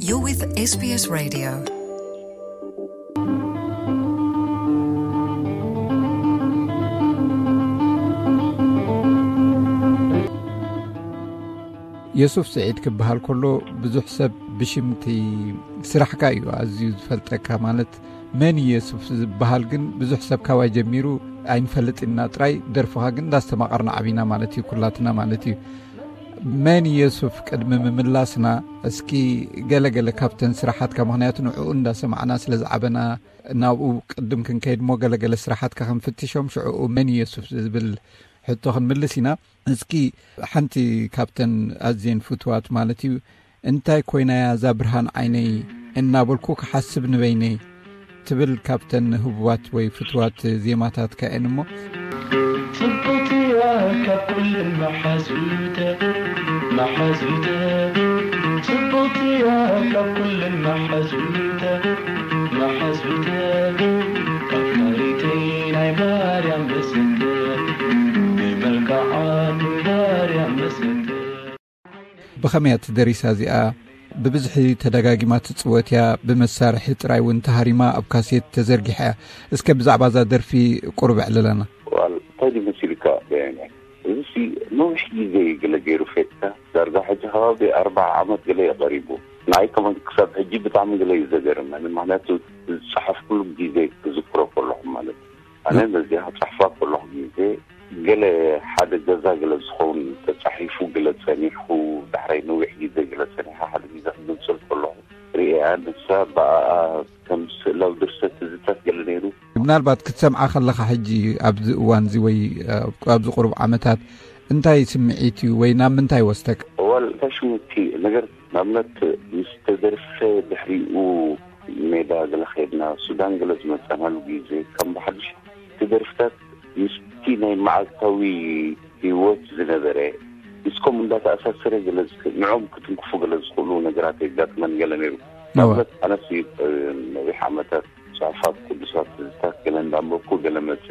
You're with S B S Radio. የሱፍ ስዒድ ክበሃል ከሎ ብዙሕ ሰብ ብሽምቲ ስራሕካ እዩ ኣዝዩ ዝፈልጠካ። ማለት መን እዩ የሱፍ ዝበሃል ግን ብዙሕ ሰብ ካባይ ጀሚሩ ኣይንፈልጥ ኢና ጥራይ፣ ደርፍኻ ግን እንዳስተማቐርና ዓቢና ማለት እዩ፣ ኩላትና ማለት እዩ። መን የሱፍ ቅድሚ ምምላስና እስኪ ገለገለ ካብተን ስራሓትካ፣ ምኽንያቱ ንዕኡ እንዳሰማዕና ስለ ዝዓበና ናብኡ ቅድም ክንከይድ እሞ ገለገለ ስራሓትካ ክንፍትሾም ሽዕኡ መን የሱፍ ዝብል ሕቶ ክንምልስ ኢና። እስኪ ሓንቲ ካብተን ኣዝየን ፍትዋት ማለት እዩ፣ እንታይ ኮይናያ እዛ ብርሃን ዓይነይ እናበልኩ ክሓስብ ንበይነይ ትብል ካብተን ህቡባት ወይ ፍትዋት ዜማታትካ እየን እሞ። ጽብቕቲ እያ ካብ ኩለን መሓዙተ፣ መሓዙተ። ጽብቕቲ እያ ካብ ኩለን መሓዙተ፣ መሓዙተ። ኣፍቃሪተይ ናይ ማርያም በስተ፣ ናይ መልክዓ ማርያም በስተ። ብኸመይ እያ ትደሪሳ እዚኣ? ብብዝሒ ተደጋጊማ ትጽወት እያ፣ ብመሳርሒ ጥራይ እውን ተሃሪማ ኣብ ካሴት ተዘርጊሓ እያ። እስከ ብዛዕባ እዛ ደርፊ ቁሩብ ኣዕልለና። ዋል፣ እንታይ ድዩ መሲልካ ደያነ? እዚሲ ነዊሕ ግዜ እዩ ገለ ገይሩ ፌትካ፣ ዳርጋ ሕጂ ከባቢ ኣርባዓ ዓመት ገለ እዩ ቀሪቡ። ንዓይ ከማን ክሳብ ሕጂ ብጣዕሚ ገለ እዩ ዘገርመኒ፣ ምኽንያቱ ዝጸሓፍኩሉ ግዜ ክዝክሮ ከለኹ ማለት እዩ። ኣነ ነዚኣ ክጽሕፋ ከለኹ ግዜ ገለ ሓደ ገዛ ገለ ዝኸውን ተጻሒፉ ገለ ጸኒሑ፣ ዳሕራይ ነዊሕ ግዜ ገለ ጸኒሓ ሓደ ግዜ ክግንጽል ከለኹ ርእያ፣ ንሳ ብኣኣ ከም ስእላዊ ድርሰት ትዝታት ገለ ነይሩ። ምናልባት ክትሰምዓ ከለኻ ሕጂ ኣብዚ እዋን እዚ ወይ፣ እ፣ ኣብዚ ቁሩብ ዓመታት እንታይ ስምዒት እዩ ወይ ናብ ምንታይ ወስደካ? እዋል እንታይ ሽሙ እቲ ነገር ንኣብነት ምስ ተደርፈ ድሕሪኡ ሜዳ ገለ ኸድና ሱዳን ገለ ዝመጸናሉ ግዜ ከም ብሓድሽ እቲ ደርፍታት ምስቲ ናይ መዓልታዊ ህይወት ዝነበረ ምስኮም እንዳተኣሳሰረ ገለ ዝክ-፣ ንዖም ክትንክፉ ገለ ዝኽእሉ ነገራት የጋጥመን ገለ ነይሩ። እወ። ንኣብነት ኣነስ፣ እ፣ ነዊሕ ዓመታት ጽሑፋት ቅዱሳት ትዝታት ገለ እንዳንበብኩ ገለ መጸ።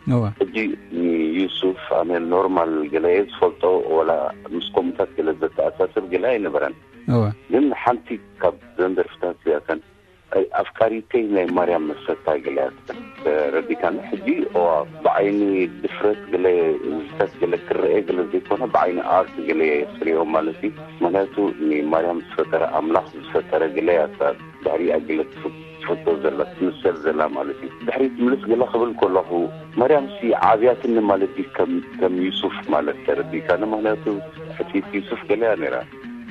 እወ። ሕጂ ንዩሱፍ ኣነ ኖርማል ገለ እየ ዝፈልጦ፣ ወላ ምስ ከምኡታት ገለ ዘተኣሳስር ገለ ኣይነበረን። እወ። ግን ሓንቲ ካብ ዘን ደርፍታት እዚኣተን፣ ኣይ፣ ኣፍቃሪተይ ናይ ማርያም መሰታ ገለ እያ ትብል። ተረዲካኒ? ሕጂ እዋ ብዓይኒ ድፍረት ገለ ዝታት ገለ ክረአ ገለ ዘይኮነ ብዓይኒ ኣርት ገለ እየ ክሪኦ ማለት እዩ። ምክንያቱ ንማርያም ዝፈጠረ ኣምላኽ ዝፈጠረ ገለ እያ እታ ድሕሪኣ ገለ ትፍ-፣ ትፈቶ ዘላ ትምሰል ዘላ ማለት እዩ። ድሕሪት ምልስ ገለ ክብል ከለኹ ማርያም ሲ ዓብያትኒ ማለት እዩ ከም፣ ከም ዩሱፍ ማለት ተረዲካኒ? ምክንያቱ ሕጽይቲ ዩሱፍ ገለ እያ ነይራ።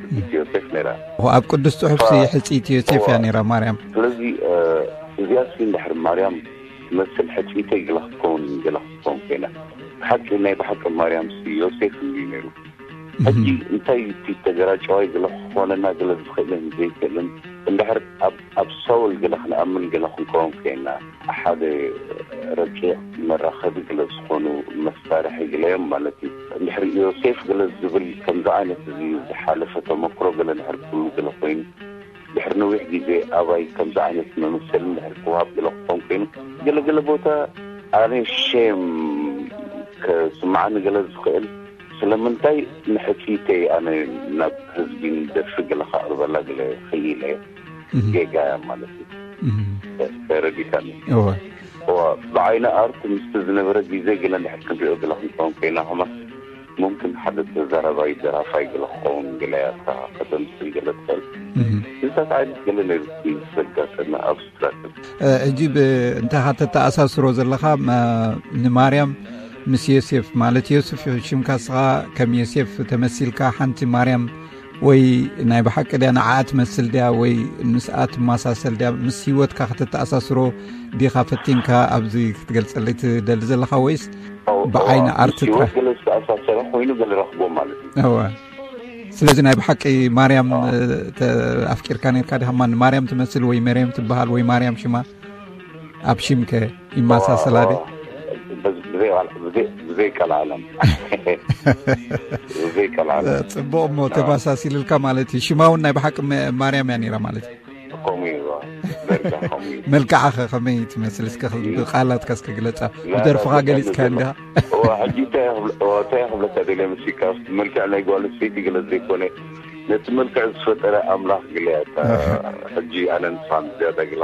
ሕጽይቲ ዮሴፍ ነይራ። ኣብ ቅዱስ ጽሑፍ ሲ ፋ-፣ ሕጽይቲ ዮሴፍ እያ እዋ። ነይራ ማርያም። ስለዚ፣ እ፣ እዚኣ ሲ እንድሕር ማርያም ትመስል ሕጽይተይ ገለ ክትከውን፣ ገለ ክትከውን ኮይና። ብሓቂ፣ ናይ ብሓቂ ማርያም ሲ ዮሴፍ እንድዩ ነይሩ። እህ። ሕጂ እንታይ እዩ እቲ ተገራጨዋይ ገለ ክኾነና ገለ ዝኽእልን ዘይክእልን? እንድሕር ኣብ፣ ኣብ ሳውል ገለ ክንኣምን ገለ ክንከውን ኮይና፣ ሓደ ረቂቕ መራኸቢ ገለ ዝኾኑ መሳርሒ ገለ እዮም ማለት እዩ። እንድሕር ዮሴፍ ገለ ዝብል ከምዚ ዓይነት እዚ ዝሓለፈ ተመክሮ ገለ እንድሕር ክህሉ ገለ ኮይኑ፣ ድሕሪ ነዊሕ ግዜ ኣባይ ከምዚ ዓይነት መመሰሊ እንድሕር ክወሃብ ገለ ክኾን ኮይኑ፣ ገለገለ ቦታ ኣነ ሼም ከስምዓኒ ገለ ዝኽእል፣ ስለምንታይ ንሕጽይተይ ኣነ ናብ ህዝቢ ንደርፊ ገለ ከቕርበላ ገለ ክኢለ እህ። ጌጋ እያ ማለት እዩ። እህ። ተረዲካኒ? እወ። እወ፣ ብዓይኒ ኣርት ምስቲ ዝነበረ ግዜ ገለ እንድሕር ክንሪኦ ገለ ክንከውን ኮይና ከማን፣ ሙምክን ሓደ ተዛራባይ ደራፋይ ገለ ክኸውን ገለ እያ እታ ከተምስል ገለ ትኽእል። እህ። እንታይ ዓይነት ገለ ነይሩ እቲ ዘጋጠመ ኣብስትራክት? እ፣ ሕጂ ብ-፣ እንታይ ኻ ተተኣሳስሮ ዘለኻ፣ መ-፣ ንማርያም ምስ ዮሴፍ፣ ማለት ዮሴፍ ሽምካ እስኻ ከም ዮሴፍ ተመሲልካ፣ ሓንቲ ማርያም ወይ ናይ ብሓቂ ድያ ንዓኣ ትመስል ድያ ወይ ምስኣ ትመሳሰል ድያ፣ ምስ ህይወትካ ከተተኣሳስሮ ዲኻ ፈቲንካ ኣብዚ ክትገልጸለይ ትደሊ ዘለኻ፣ ወይስ ኦ፣ ብዓይኒ ኦ፣ ኣርት ምስ ህይወት ጥራሕ? ገለ ዝተኣሳሰረ ኮይኑ ገለ ረኽቦ ማለት እዩ። እወ። ስለዚ ናይ ብሓቂ ማርያም፣ ኦ። እ፣ ተ-፣ ኣፍቂርካ ነርካ ዲኻ? ማን ማርያም ትመስል ወይ መርየም ትበሃል ወይ ማርያም ሽማ? ኣብ ሽምከ ይመሳሰላ ድየ? ኦ፣ ኦ፣ ብዘይ፣ ብዘይ፣ ብዘይ፣ ብዘይ ቀልዓለም። ብዘይ ቀልዓለም። ጽቡቕ እሞ ኦ። ተመሳሲልልካ ማለት እዩ። ሽማ እውን ናይ ብሓቂ መ-፣ ማርያም እያ ነይራ ማለት እዩ። ከምኡ እዩ፣ ኦ። ደርጋ ከምኡ እዩ። መልክዓ ኸ ከመይ ትመስል? እስከ ኸ-፣ እ፣ ብቃላትካ እስከ ግለጻ። ላ፣ ብደርፍኻ ላ፣ ገሊጽካ ላ፣ እንዲኻ? ኦ፣ ሕጂ እንታይ ክብለ-፣ ኦ፣ እንታይ ክብለካ ደልየ መሲልካ? መልክዕ ናይ ጓል ኣንስተይቲ ገለ ዘይኮነ ነቲ መልክዕ ዝፈጠረ ኣምላኽ ግለያታ። ሕጂ ኣነ ንስኻ ዝያዳ ግላ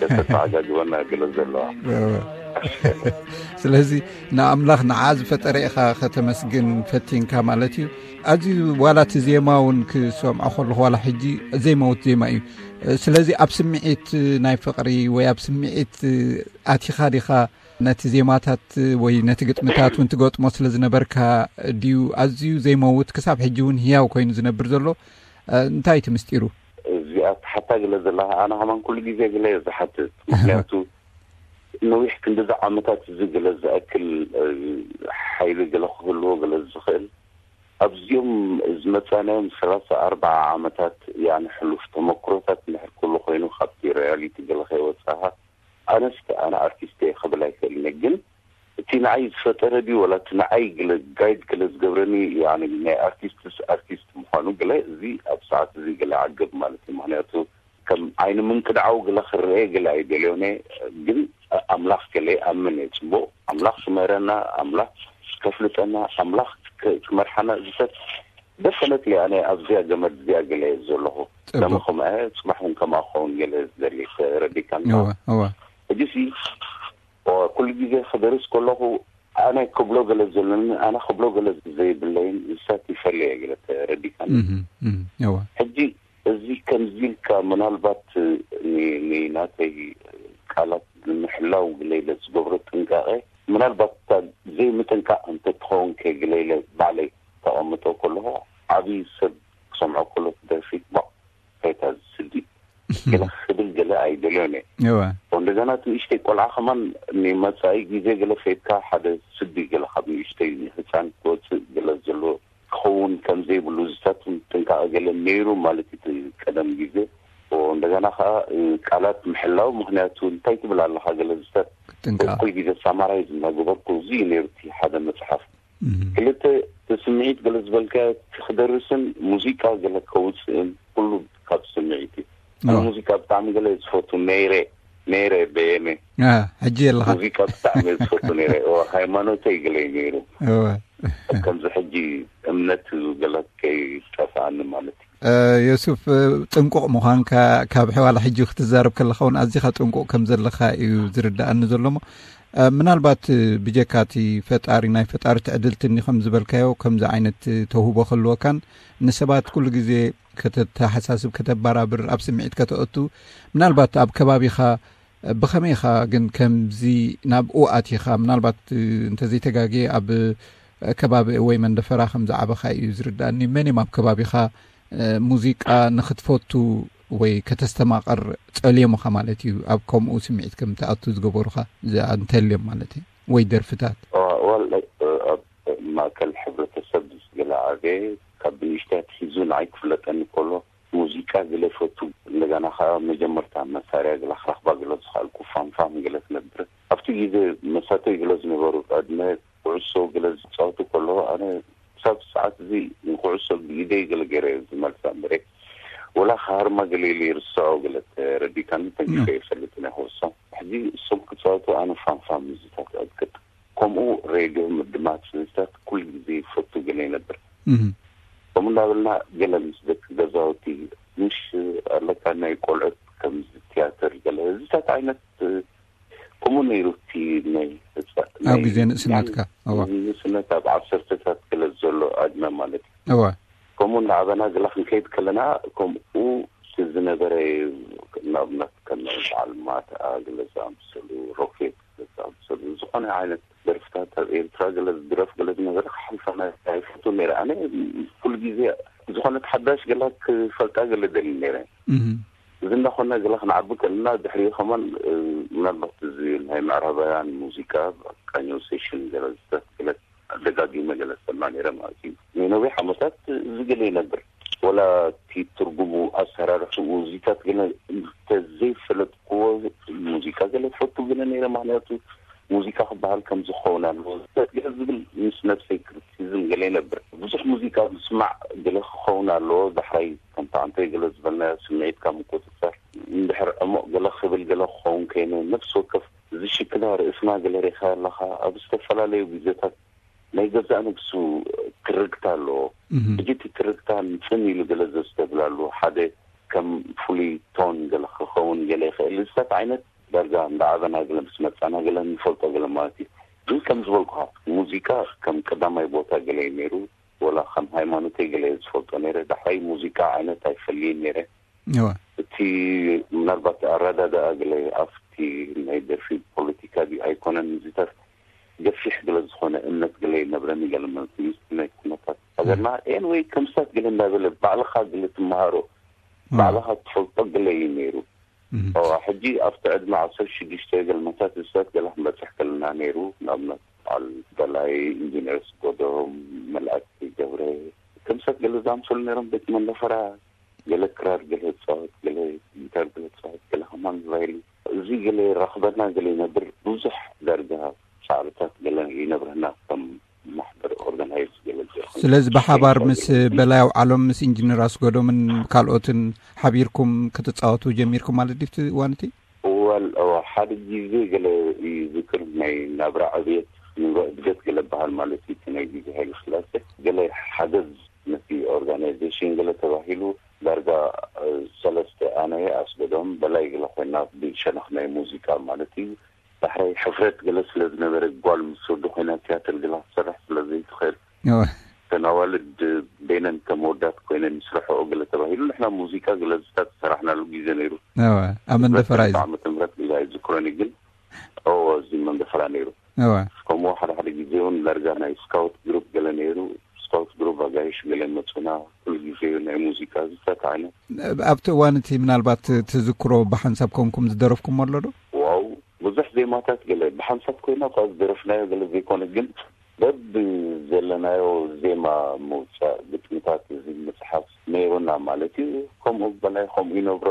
ከተተዓጋግበና ግለ ዘለዋ። ስለዚ ንኣምላኽ ንዓ ዝፈጠረ ኢኻ ከተመስግን ፈቲንካ ማለት እዩ። ኣዝዩ ዋላ እቲ ዜማ እውን ክሰምዖ ከለኹ ዋላ ሕጂ ዘይመውት ዜማ እዩ። ስለዚ ኣብ ስምዒት ናይ ፍቕሪ ወይ ኣብ ስምዒት ኣቲኻ ዲኻ ነቲ ዜማታት ወይ ነቲ ግጥምታት እውን ትገጥሞ ስለ ዝነበርካ ድዩ ኣዝዩ ዘይመውት ክሳብ ሕጂ እውን ህያው ኮይኑ ዝነብር ዘሎ? እንታይ እቲ ምስጢሩ? እዚኣ ትሓታ ግለ ዘለኻ ኣነ ከማን ኩሉ ግዜ ግለ እየ ዝሓትት። ምክንያቱ ነዊሕ ክንዲዚ ዓመታት እዚ ግለ ዝኣክል ሓይሊ ግለ ክህልዎ ግለ ዝኽእል ኣብዚኦም ዝመፃናዮም ሰላሳ ኣርባዓ ዓመታት ያኒ ሕሉፍ ተመክሮታት ንሕር ኩሉ ኮይኑ ካብቲ ሪያሊቲ ግለ ከይወፃኻ ኣነስ ኣነ ኣርቲስት እየ ክብል ኣይክእልን እየ። ግን እቲ ንዓይ ዝፈጠረ ድዩ ወላ እቲ ንዓይ ግለ ጋይድ ግለ ዝገብረኒ ያኒ ናይ ኣርቲስትስ ኣርቲስት ምዃኑ ግለ እዚ ኣብ ሰዓት እዚ ግለ ዓገብ ማለት እዩ። ምክንያቱ ከም ዓይኒ ምንቅድዓው ግለ ክረአ ግለ ኣይደልዮን እየ። ግን ኣምላኽ ግለ ይኣምን እየ። ፅቡቅ ኣምላኽ ክምህረና ኣምላኽ ከፍልጠና ኣምላኽ ክመርሓና ዝሰብ ደፈነት ኣነ ኣብዚያ ገመድ እዚያ ገለ ዘለኹ። ለመ ከምኣ ፅባሕ እውን ከምኣ ክኸውን ገለ ዝደሊ ተረዲካኒ። ሕጂ ሲ ኩሉ ግዜ ክደርስ ከለኹ ኣነ ክብሎ ገለ ዘለኒ ኣነ ክብሎ ገለ ዘይብለይን ንሳት ይፈለየ ገለ ተረዲካኒ። ሕጂ እዚ ከምዚ ኢልካ ምናልባት ንናተይ ቃላት ንምሕላው ግለ ኢለ ዝገብሮ ጥንቃቄ ምናልባት እታ ዘይምጥንቃቕ እንተትኸውን ከ ግለ ኢለ ባዕለይ ተቐምጦ ከለኹ ዓብዪ ሰብ ክሰምዖ ከሎ ትደርፊ ባቕ ከይታ ዝስዲ ገለ ክብል ገለ ኣይደልዮን እየ። እንደገና እቲ ንእሽተይ ቆልዓ ከማን ንመፃኢ ግዜ ገለ ከይድካ ሓደ ስዲ ገለ ካብ ንእሽተይ ህፃን ክወፅእ ገለ ዘሎ ክኸውን ከም ዘይብሉ ዝሳትን ጥንቃቐ ገለ ነይሩ ማለት እዩ። ቀደም ግዜ እንደገና ከዓ ቃላት ምሕላው ምክንያቱ እንታይ ትብል ኣለካ ገለ ዝሳት ኩል ግዜ ሳማራይዝ እናገበርኩ እዚ ነይሩ እቲ ሓደ መፅሓፍ ክልተ ስምዒት ገለ ዝበልካ ክደርስን ሙዚቃ ገለ ከውፅእን ኩሉ ካብ ስምዒት እዩ። ሙዚቃ ብጣዕሚ ገለ ዝፈቱ ነይረ ነይረ በየነ ሕጂ የለካ። ሙዚቃ ብጣዕሚ ዝፈቱ ነይረ ሃይማኖተይ ገለ ነይሩ። ከምዚ ሕጂ እምነት ገለ ከይጠፍኣኒ ማለት እዩ። ዮሱፍ፣ ጥንቁቕ ምዃንካ ካብ ሕዋላ ሕጂ ክትዛረብ ከለኻ እውን ኣዚኻ ጥንቁቕ ከም ዘለኻ እዩ ዝርዳኣኒ ዘሎ። እሞ ምናልባት ብጀካ እቲ ፈጣሪ ናይ ፈጣሪ ትዕድልትኒ ከም ዝበልካዮ ከምዚ ዓይነት ተውህቦ ክህልወካን ንሰባት ኩሉ ግዜ ከተተሓሳስብ ከተበራብር ኣብ ስምዒት ከተእቱ ምናልባት ኣብ ከባቢኻ ብኸመይ ኢኻ ግን ከምዚ ናብኡ ኣቲኻ? ምናልባት እንተዘይተጋግየ ኣብ ከባቢ ወይ መንደፈራ ከም ዝዓበኻ እዩ ዝርዳእኒ። መን እዮም ኣብ ከባቢኻ ሙዚቃ ንኽትፈቱ ወይ ከተስተማቕር ጸልዮምኻ ማለት እዩ? ኣብ ከምኡ ስምዒት ከም ትኣቱ ዝገበሩኻ እንተልዮም ማለት እዩ ወይ ደርፍታት? ኣብ ማእከል ሕብረተሰብ ዝገለ ዓበየ ካብ ብንእሽተይ ኣትሒዙ ንዓይ ክፍለጠኒ ከሎ ሙዚቃ ገለ ይፈቱ። እንደገና ከዓ መጀመርታ መሳርያ ገለ ክረኽባ ገለ ዝኸኣልኩ ፋምፋም ገለ ትነብር ኣብቲ ግዜ መሳተይ ገለ ዝነበሩ ዕድመ ኩዕሶ ገለ ዝፃወቱ ከለዉ ኣነ ክሳብ ሰዓት እዚ ንኩዕሶ ብኢደይ ገለ ገይረ ዝመልሳ እምበረ ወላ ክሃርማ ገለ ኢለ ይርስዖ ገለ ተረዲካኒ ጠንቂቀ ይፈልጥ ናይ ኩዕሶ ሕጂ እሶም ክፃወቱ ኣነ ፋምፋም ምዝታት ኣዝክር ከምኡ ሬድዮ ምድማፅ ህዝታት ኩሉ ግዜ ይፈቱ ገለ ይነብር ከምኡ እንዳበልና ገለ ምስ ደቂ ገዛውቲ ምሽ ኣለካ ናይ ቆልዑት ከምዚ ትያትር ገለ ህዝታት ዓይነት ከምኡ ነይሩ እቲ ናይ ኣብ ግዜ ንእስነትካ ንእስነት ኣብ ዓሰርተታት ገለ ዘሎ ዕድመ ማለት እዩ ከምኡ እንዳዓበና ገላ ክንከይድ ከለና ከምኡ ዝነበረ ናብነት ከም በዓል ማትኣ ገለ ዝኣምሰሉ ሮኬት ገለ ዝኣምሰሉ ዝኾነ ዓይነት ደርፍታት ኣብ ኤርትራ ገለ ዝድረፍ ገለ ዝነበረ ክሓልፈና ኣይፈቱ ነይረ ኣነ ኩሉ ግዜ ዝኾነት ሓዳሽ ገላ ክፈልጣ ገለ ደሊ ነይረ እዚ እንዳኾነ ገላ ክንዓቢ ከለና ድሕሪኡ ከማን ምናልባት እዚ ናይ ምዕራባውያን ሙዚቃ ቃኘው ሴሽን ገለ ዝተክለት ደጋጊመ ገለ ዝሰማ ነይረ ማለት እዩ ናይ ነዊሕ ዓመታት እዚ ገለ ይነብር ወላ እቲ ትርጉሙ ኣሰራርሕኡ እዚታት ገለ እንተዘይፈለጥክዎ ሙዚቃ ገለ ትፈቱ ገለ ነይረ ምክንያቱ ሙዚቃ ክበሃል ከም ዝኸውን ኣለዎ ዝፈት ገለ ዝብል ምስ ነብሰይ ክሪቲሲዝም ገለ ይነብር ብዙሕ ሙዚቃ ምስማዕ ገለ ክኸውን ኣለዎ ዳሕራይ ከምታ ኣንተ ገለ ዝበልናዮ ስምዒትካ ምቁፅፀር እንድሕር ዕሙቕ ገለ ክብል ገለ ክኸውን ከይኑ ነፍሲ ወከፍ ዝሽክና ርእስና ገለ ሪኻ ኣለኻ ኣብ ዝተፈላለዩ ግዜታት ናይ ገዛእ ነብሱ ትርግታ ኣለዎ። ሕጂ እቲ ትርግታ ንጽን ኢሉ ገለ ዘስተብላሉ፣ ሓደ ከም ፍሉይ ቶን ገለ ክኸውን ገለ ይኽእል። ዝታት ዓይነት ዳርጋ እንዳዓበና ገለ ምስ መጻና ገለ ንፈልጦ ገለ ማለት እዩ። ግን ከም ዝበልኩኻ፣ ሙዚቃ ከም ቀዳማይ ቦታ ገለ እዩ ነይሩ። ወላ ከም ሃይማኖተይ ገለ እየ ዝፈልጦ ነይረ። ዳሕራይ ሙዚቃ ዓይነት ኣይፈልይን ነይረ። እቲ ምናልባት ኣረዳድኣ ገለ ኣብቲ ናይ ደርፊ ፖለቲካ ድዩ ኣይኮነን፣ ዝታት ገፊሕ ገለ ዝኾነ እምነት ገለ ይነብረኒ ገለ ማለት እዩ። ናይ ኩነታት ሃገርና ኤን ወይ ከምስታት ገለ እንዳበለ ባዕልኻ ገለ ትመሃሮ፣ ባዕልኻ ትፈልጦ ገለ እዩ ነይሩ። ሕጂ ኣብቲ ዕድመ ዓሰርተ ሽዱሽተ ገለ መታት ዝታት ገለ ክንበፅሕ ከለና ነይሩ። ንኣብነት በዓል በላይ፣ ኢንጂነር ስጎዶም፣ መልኣክ ገብረ፣ ከምስታት ገለ ዝኣምሰሉ ነይሮም። ቤት መንደፈራ ገለ ክራር ገለ ይጻወት፣ ገለ ጊታር ገለ ይጻወት፣ ገለ ከማን ቫይሊን። እዚ ገለ ይራኽበና ገለ ይነብር። ብዙሕ ዳርጋ ሳዕርታት ገለ ይነብረና ከም ማሕበር ኦርጋናይዝ ገለ ዝኸውን። ስለዚ ብሓባር ምስ በላይ ኣውዓሎም፣ ምስ ኢንጂነር ኣስጎዶምን ካልኦትን ሓቢርኩም ክትጻወቱ ጀሚርኩም ማለት ድዩ እቲ እዋን እቲ? እዋል እዋ ሓደ ግዜ ገለ ይዝክር፣ ናይ ናብራ ዕብየት ንብረ እድገት ገለ በሃል ማለት እዩ። እቲ ናይ ግዜ ሃይለ ስላሴ ገለ ሓገዝ ነቲ ኦርጋናይዜሽን ገለ ተባሂሉ ዳርጋ ሰለስተ ኣነ ኣስገዶም በላይ ገለ ኮይና ብሸነኽ ናይ ሙዚቃ ማለት እዩ። ዳሕራይ ሕፍረት ገለ ስለ ዝነበረ ጓል ምስ ወዲ ኮይና ቲያትር ገለ ክትሰርሕ ስለ ዘይትኽእል ተናዋልድ በይነን ከም ወዳት ኮይነን ይስርሐኦ ገለ ተባሂሉ ንሕና ሙዚቃ ገለ ዝታት ዝሰራሕናሉ ግዜ ነይሩ። ኣብ መንደፈራ እዩ። ዓመተ ምህረት ግዜ ኣይዝክሮን ግን እዚ መንደፈራ ነይሩ። ከምኡ ሓደ ሓደ ግዜ እውን ዳርጋ ናይ ስካውት ግሩፕ ገለ ነይሩ። ስካውት ግሩፕ ኣጋይሽ ገለ መፁና። ኩሉ ግዜ ናይ ሙዚቃ ዝፈት ዓይነት። ኣብቲ እዋን እቲ ምናልባት ትዝክሮ ብሓንሳብ ኮንኩም ዝደረፍኩም ኣሎ ዶ? ዋው፣ ብዙሕ ዜማታት ገለ ብሓንሳብ ኮይና እኳ ዝደረፍናዮ ገለ ዘይኮነ ግን በብ ዘለናዮ ዜማ ምውፃእ ግጥምታት እዚ ምፅሓፍ ነይሩና ማለት እዩ። ከምኡ በላይ ከምኡ ይነብሮ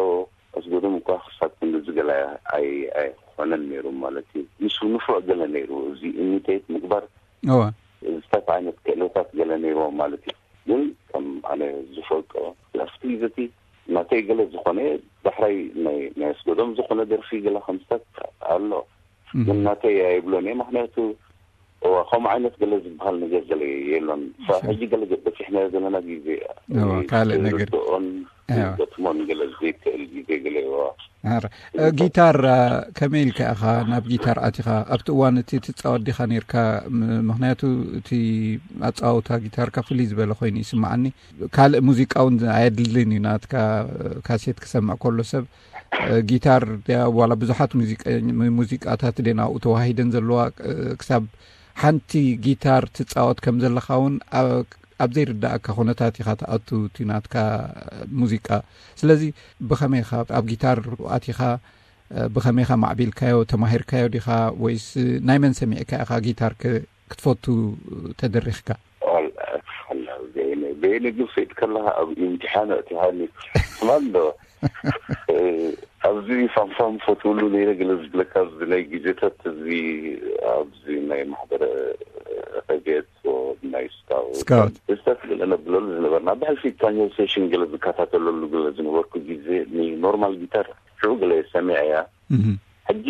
ኣስገዶም እኳ ክሳብ ክንድዚ ገለ ኣይኮነን ነይሩ ማለት እዩ። ምስ ንፉዕ ገለ ነይሩ እዚ ኢሚቴት ምግባር። እዋ። ዝተፍ ዓይነት ክእለታት ገለ ነይርዎ ማለት እዩ። ግን ከም ኣነ ዝፈልጦ ኣብቲ ግዜ እቲ ናተይ ገለ ዝኾነ ዳሕራይ ናይ ኣስገዶም ዝኾነ ደርፊ ገለ ከምስታት ኣሎ። ግን ናተይ ኣይብሎን እየ። ምክንያቱ እዋ ከምኡ ዓይነት ገለ ዝበሃል ነገር ገለ የሎን። ሕጂ ገለ በፂሕናዮ ዘለና ግዜ ካልእ ነገር ኦን ገጥሞን ገለ ዘይክእል ግዜ ገለ እዋ። ጊታር ከመይ ኢልካ ኢኻ ናብ ጊታር ኣቲኻ? ኣብቲ እዋን እቲ ትፃወት ዲኻ ነርካ? ምክንያቱ እቲ ኣፃወታ ጊታርካ ፍልይ ዝበለ ኮይኑ ይስማዓኒ። ካልእ ሙዚቃ እውን ኣየድልን እዩ ናትካ ካሴት ክሰምዕ ከሎ ሰብ። ጊታር ዋላ ብዙሓት ሙዚቃታት ደ ናብኡ ተዋሂደን ዘለዋ? ክሳብ ሓንቲ ጊታር ትፃወት ከም ዘለኻ እውን ኣብ ዘይርዳእካ ኩነታት ኢኻ ትኣቱ እቲ ናትካ ሙዚቃ። ስለዚ ብኸመይ ኢኻ ኣብ ጊታር ኣቲኻ? ብኸመይ ኢኻ ማዕቢልካዮ? ተማሂርካዮ ዲኻ ወይስ ናይ መን ሰሚዕካ ኢኻ ጊታር ክትፈቱ ተደሪኽካ? በየነ ግን ፈይድ ከለኻ ኣብ ኢምትሓን ኣእቲኻኒ። ስማል ዶ ኣብዚ ፋምፋም ፈትውሉ ነይረ ገለ ዝብለካ ኣብዚ ናይ ግዜታት እዚ ኣብዚ ናይ ማሕበረ ረድየት ናይ ስካውት ስካውት። ስታት ገለ ነብለሉ ዝነበርና ብሕልፊ ታኛው ሴሽን ገለ ዝከታተለሉ ገለ ዝነበርኩ ግዜ ንኖርማል ጊታር ሽዑ ገለ ሰሚዐ እያ። ሕጂ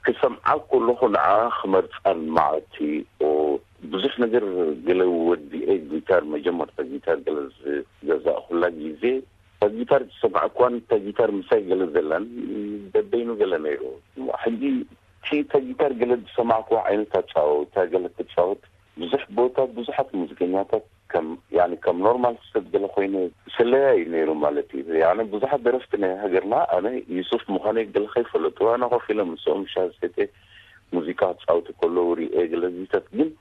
ክሰምዓ ከለኹ ንዓ ክመርፃን መዓልቲ ብዙሕ ነገር ገለ ወዲኤ ጊታር መጀመርታ ጊታር ገለ ዝገዛእኩላ ግዜ እታ ጊታር ዝሰማዕኳን እታ ጊታር ምሳይ ገለ ዘላን በበይኑ ገለ ነይሩ። ሕጂ እቲ እታ ጊታር ገለ ዝሰማዕኩዋ ዓይነት ኣፃወታ ገለ ትፃወት ብዙሕ ቦታ ብዙሓት ሙዚቀኛታት ከም ያኒ ከም ኖርማል ሰብ ገለ ኮይነ ስለያ እዩ ነይሩ ማለት እዩ። ያኒ ብዙሓት ደረፍቲ ናይ ሃገርና ኣነ ዩሱፍ ምዃነይ ገለ ከይፈለጡ ኣነ ኮፍ ኢለ ምስኦም ሻሂ ሰትየ ሙዚቃ ክፃወቱ ከለዉ ሪኤ ገለ ዚታት ግን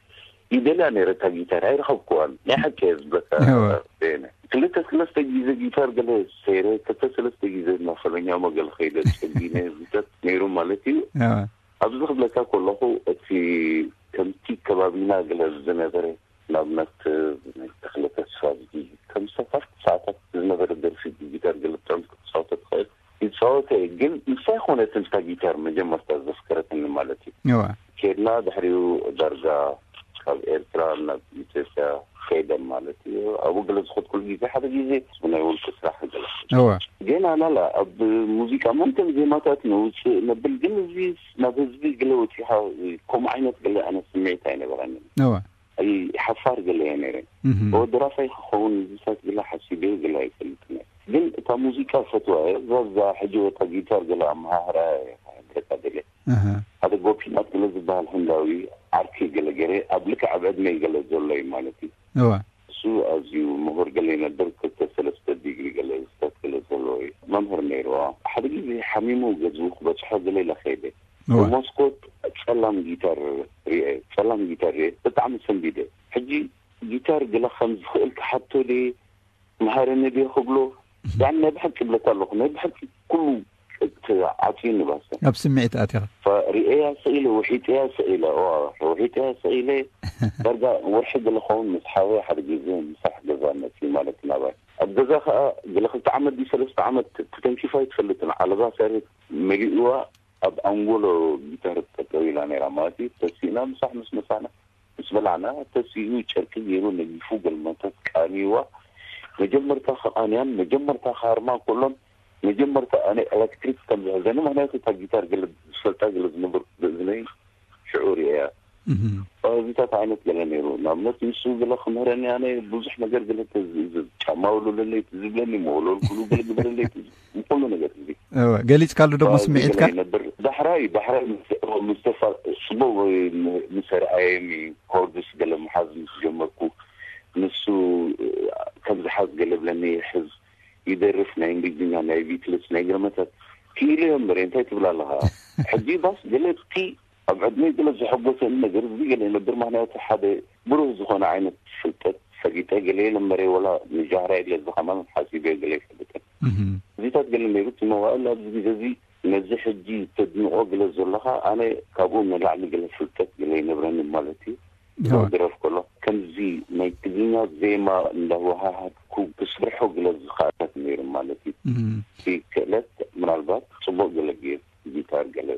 ይደልያ ነይረ እታ ጊታር ኣይረኸብኩዋን። ናይ ሓቂ እየ ዝብለካ እወ። ቤነ ክልተ ሰለስተ ግዜ ጊታር ገለ ሰይረ ክልተ ሰለስተ ግዜ መፈለኛ መገለ ከይደ ጸጊነ ዚታት ነይሩ ማለት እዩ። እወ። ኣብዚ ክብለካ ከለኹ እቲ ከምቲ ከባቢና ገለ ዝነበረ ንኣብነት ናይ ተኽለ ተስፋ ዝጊ ከም ሰፋሕቲ ሰዓታት ዝነበረ ደርፊ ብጊታር ገለ ጥዑም ክትፃወቶ ትኽእል ይፃወተ እየ። ግን ምሳይ ኮነት እንታ ጊታር መጀመርታ ዘፍከረትኒ ማለት እዩ። እዋ። ኬድና ድሕሪኡ ዳርጋ ካብ ኤርትራ ናብ ኢትዮጵያ ከይደ ማለት እዩ። ኣብኡ ገለ ዝኸድኩሉ ግዜ ሓደ ግዜ ብናይ ውልቂ ስራሕ ገለ እዋ። ገና ላላ ኣብ ሙዚቃ መንተን ዜማታት ነውፅእ ነብል ግን እዚ ናብ ህዝቢ ገለ ወፂኻ ከምኡ ዓይነት ገለ ኣነ ስምዒት ኣይነበረንን። እዋ። ኣይ ሓፋር ገለ እየ ነይረ። እወ ደራፋይ ክኸውን ዝሳት ገለ ሓሲበ ገለ ኣይፈልጥን እየ። ግን እታ ሙዚቃ ፈትዋ እየ። እዛ እዛ ሕጂ ወታ ጊታር ገለ ኣመሃህራ እየ ክሕብረካ ደልየ። ሓደ ጎፒናት ገለ ዝበሃል ህንዳዊ ዓርኪ ገለ ገይረ ኣብ ልክዕ ኣብ ዕድመይ ገለ ዘሎ እዩ ማለት እዩ። እሱ ኣዝዩ ምሁር ገለ ይነብር ክልተ ሰለስተ ዲግሪ ገለ ዝሰት ገለ ዘለዎ እዩ። መምህር ነይሩ። ሓደ ግዜ ሓሚሙ ገዝኡ ክበፅሖ ገለ ኢለ ከይደ። ብመስኮት ጸላም ጊታር ርኤ። ጸላም ጊታር ርኤ ብጣዕሚ ሰንቢደ። ሕጂ ጊታር ገለ ከም ዝኽእል ክሓቶ ድየ፣ መሃረኒ ድየ ክብሎ፣ ያን ናይ ብሓቂ ብለካ ኣለኹ፣ ናይ ብሓቂ ኩሉ እቲ ዓጽዩ ንባሰ። ኣብ ስምዒት ኣቲኻ። ርኤያ ሰኢለ፣ ውሒጠያ ሰኢለ፣ እዋ፣ ውሒጠያ ሰኢለ። ዳርጋ ወርሒ ገለ ኸውን ምስ ሓወይ ሓደ ግዜ ምሳሕ ገዛ መጺ ማለት ናባይ። ኣብ ገዛ ከኣ ገለ ክልተ ዓመት ድዩ ሰለስተ ዓመት ተተንኪፋ ኣይትፈልጥን። ዓለባ ሰሪት መሊእዋ ኣብ ኣንጎሎ ጊታር ጠጠው ኢላ ነይራ ማለት እዩ። ተሲእና ምሳሕ ምስ መሳና ምስ በላዕና፣ ተሲኡ ጨርቂ ገይሩ ነጊፉ ገልመጠት ቃንይዋ። መጀመርታ ከቃንያን መጀመርታ ከሃርማ ከሎን መጀመርታ ኣነ ኤሌክትሪክ ከም ዝሕዘኒ፣ ምክንያቱ እታ ጊታር ገለ ዝፈልጣ ገለ ዝነብር ብእዝነይ ሽዑ ርእያ። እዚታት ዓይነት ገለ ነይሩ። ንኣብነት ንሱ ገለ ክምህረኒ ኣነ ብዙሕ ነገር ገለ ተዝእዝዝ፣ ጫማ ውልለለይ ትዝብለኒ፣ መወለልኩሉ ገለ ግበረለይ ትዝ-፣ ንኩሉ ነገር እዚ እወ፣ ገሊጽካሉ ደሞ ስምዒትካ? ገለ ይነብር። ዳሕራይ፣ ዳሕራይ ምስ፣ ምስ ተፋ-፣ ጽቡቕ ምስ ኣርኣየኒ፣ ኮርድስ ገለ ምሓዝ ምስ ጀመርኩ፣ ንሱ ከም ዝሓዝ ገለ ብለኒ፣ ይሕዝ፣ ይደርፍ፣ ናይ እንግሊዝኛ፣ ናይ ቢትልስ፣ ናይ ገለ መታት ክኢሉ እየ እምበር፣ እንታይ ትብል ኣለኻ? ሕጂ ባስ ገለ እቲ ኣብ ዕድመይ ገለ ዘሐጎሰኒ ነገር እዚ ገለ ይነብር፣ ምኽንያቱ ሓደ ብሩህ ዝኾነ ዓይነት ፍልጠት ፈሊጠ ገለ የለ እምበረ፣ ወላ ንጃህራ የለ እዚ ከማን ሓሲበ ገለ ይፈልጥን። እዚታት ገለ ነይሩ፣ እቲ መዋእል ኣብዚ ግዜ እዚ ነዚ ሕጂ ተድንቖ ገለ ዘለኻ፣ ኣነ ካብኡ ንላዕሊ ገለ ፍልጠት ገለ ይነብረኒ ማለት እዩ። እወ። ክደርፍ ከሎ ከምዚ ናይ ትግርኛ ዜማ እንዳወሃሃድኩ ክስርሖ ገለ ዝኽኣለት ነይሩ ማለት እዩ። እቲ ክእለት ምናልባት ጽቡቕ ገለ ገይሩ ጊታር ገለ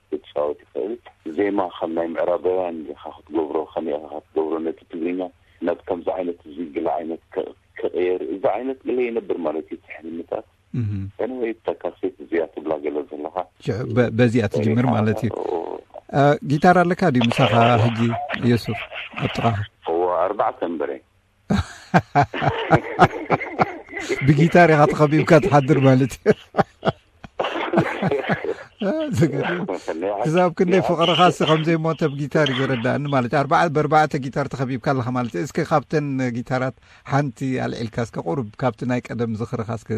ክትጻወት ይኽእል። ዜማ ከም ናይ ምዕራባውያን ኢኻ ክትገብሮ፣ ከመይ ኢኻ ክትገብሮ ነቲ ትግርኛ ናብ ከምዚ ዓይነት እዚ ገለ ዓይነት ክ-፣ ክቕየር፣ እዚ ዓይነት ገለ ይነብር ማለት እዩ፣ እቲ ሕልምታት። እህ። Anyway፣ እታ ካሴት እዚኣ ትብላ ገለ ዘለኻ። ሽዑ በ-፣ በዚኣ ትጅምር ማለት እዩ። ኦ። እ፣ ጊታር ኣለካ ድዩ ምሳኻ ሕጂ ዮሱፍ ኣብ ጥቓኻ? እወ፣ ኣርባዕተ እምበረ። ብጊታር ኢኻ ተኸቢብካ ትሓድር ማለት እዩ። ዝገርም። ክሳብ ክንደይ ፍቕርኻ እስኻ ከም ዘይሞተ ብጊታር እዩ ዝረዳእኒ ማለት እዩ። ኣርባዓ-፣ ብኣርባዕተ ጊታር ተኸቢብካ ኣለኻ ማለት እዩ። እስኪ ካብተን ጊታራት ሓንቲ ኣልዒልካ እስከ ቁሩብ ካብቲ ናይ ቀደም ዝኽርኻ እስከ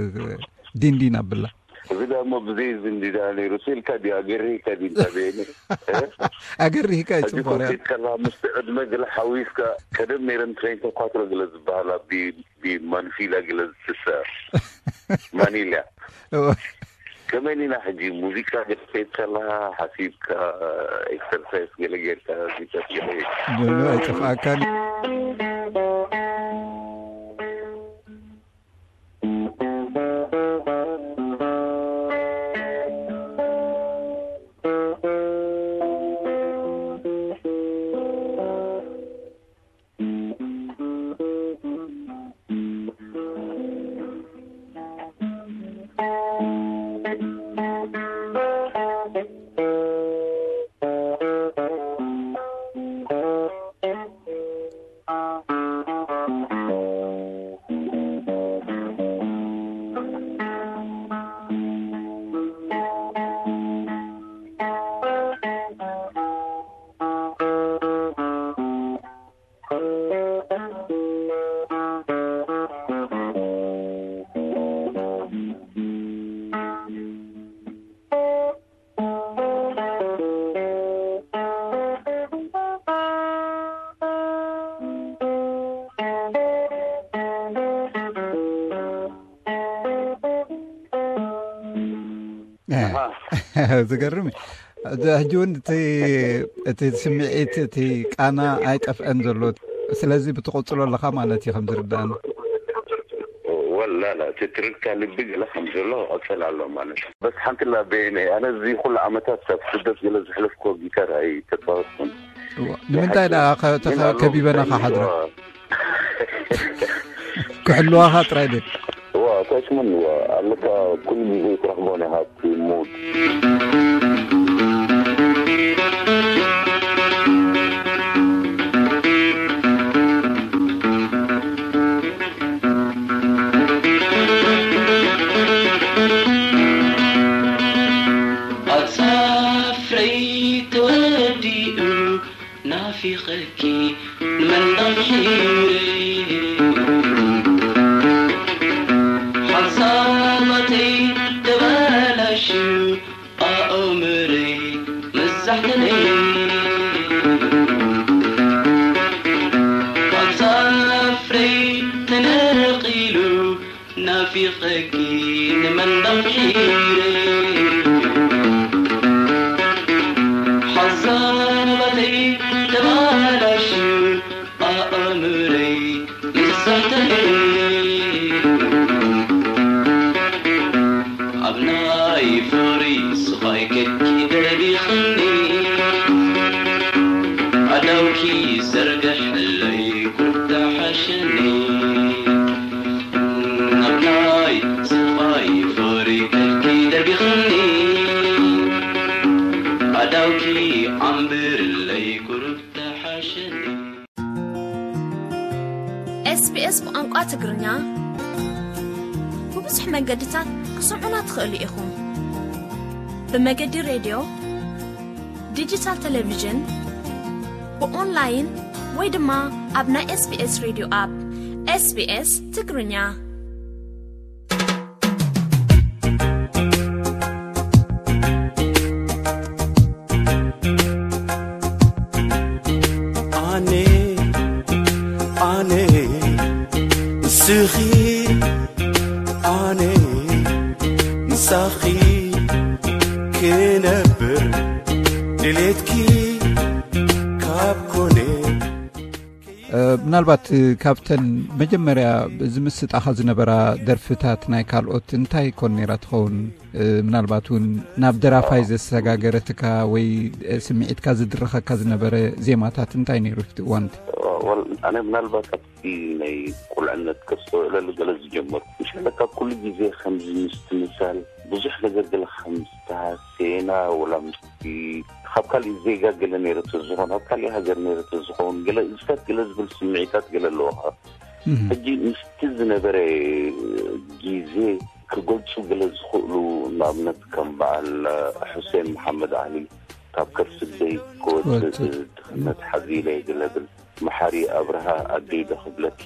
ዲንዲን ኣብላ። እዚ ደኣ እሞ ብዘይ እዚ እንዲ ደኣ ነይሩ ስኢልካ ድዩ ኣገርሂካ ድዩ እንዳ በየነ? ኣገርሂካ እዩ ሕጂ ጽቡቕ ኮፍ ርያ። ኢልካ ኣለኻ ምስቲ ዕድመ ገለ ሓዊስካ ቀደም ነይረን ትሬን ተኳትሮ ገለ ዝበሃላ ቢ-፣ ቢማንፊላ ገለ ዝትሰ ማኒልያ። እወ። ከመይ ኢና ሕጂ ሙዚቃ ገለ ከይድ ከለኻ ሓሲብካ ኤክሰርሳይስ ገለ ጌርካ ዚታት ገለ ምንም ኣይጠፍኣካን። ኣሃ። ዝገርም እዩ። እዚ ሕጂ እውን እቲ፣ እቲ ስምዒት፣ እቲ ቃና ኣይጠፍአን ዘሎ። ስለዚ ብትቕጽሎ ኣለኻ ማለት እዩ ከም ዝርዳእኒ። ወላ ላ፣ እቲ ትርታ ልቢ ገለ ከም ዘሎ ይቐጽል ኣሎ ማለት እዩ። በስ ሓንቲ ላ በየነ፣ ኣነ እዚ ኩሉ ዓመታት ኣብ ስደት ገለ ዘሕለፍኩዎ ጊታር ኣይተጻወትኩን። እዋ፣ ንምንታይ ደኣ ከ-፣ ተኸ-፣ ግን ኣሎ ከቢበና ምሳይ ከሓድራ? ይዋ። ክሕልዋኻ ጥራይ ድዩ? እዋ፣ ኣታችመን እዋ፣ ኣለካ ኩሉ ግዜ ትረኽቦ ናይ ሃብቲ ሙድ። ንመንደቕ ሒረይ ሓሳባተይ ተበላሽዩ ኣእምረይ መዛሕተለይ ካብ ዛፍረይ ተነቒሉ ናፊቐኪ ንመንደቕ ሒረይ ሓሳባተይ ተበላሽዩ ኣእምረይ መዛሕተለይ ኣብ ናይ ፍቕሪ ስቓይ ከድኪ ደርቢኽኒ ኣዳውኪ ዘርግሕለይ ኩርታ ሓሸኒ ኣብ ናይ ስቓይ ፍቕሪ ከድኪ ደርቢኽኒ ኣዳውኪ ዓምብርለይ ኩርታ ሓሸኒ። SBS ብቋንቋ ትግርኛ ብብዙሕ መገድታት ክሰምዑና ትኽእሉ ኢኹም። ብመገዲ ሬድዮ፣ ዲጂታል ቴሌቪዥን፣ ብኦንላይን ወይ ድማ ኣብ ናይ SBS ሬድዮ ኣፕ SBS ትግርኛ። ኣነ ኣነ ንስኺ ኣነ ንሳኺ ክነብር ድሌትኪ ካብ ኮነ ምናልባት ካብተን መጀመርያ ዝምስጣኻ ዝነበራ ደርፍታት ናይ ካልኦት እንታይ ኮን ነይራ ትኸውን? ምናልባት እውን ናብ ደራፋይ ዘሰጋገረትካ ወይ ስምዒትካ ዝድረኸካ ዝነበረ ዜማታት እንታይ ነይሩ እቲ እዋንቲ? ወል ኣነ ምናልባት ኣብቲ ናይ ቁልዕነት ከስተውዕለሉ ገለ ዝጀመርኩ ምሻለ ካብ ኩሉ ግዜ ከምዚ ምስትምሳል ብዙሕ ነገር ገለ ከም ዝተሃሰየና ወላ ምስቲ ካብ ካሊእ ዜጋ ገለ ነይረ ተዝኾን ኣብ ካሊእ ሃገር ነይረ ተዝኸውን ገለ እዝታት ገለ ዝብል ስምዒታት ገለ ኣለዎ። ሕጂ ምስቲ ዝነበረ ግዜ ክገልፁ ገለ ዝኽእሉ ንኣብነት ከም በዓል ሑሴን መሓመድ ዓሊ ካብ ከርሲ ኣደይ ክወፅእ ድኽነት ሓዚለ ገለ ብል መሓሪ ኣብርሃ ኣደይ ዶ ክብለኪ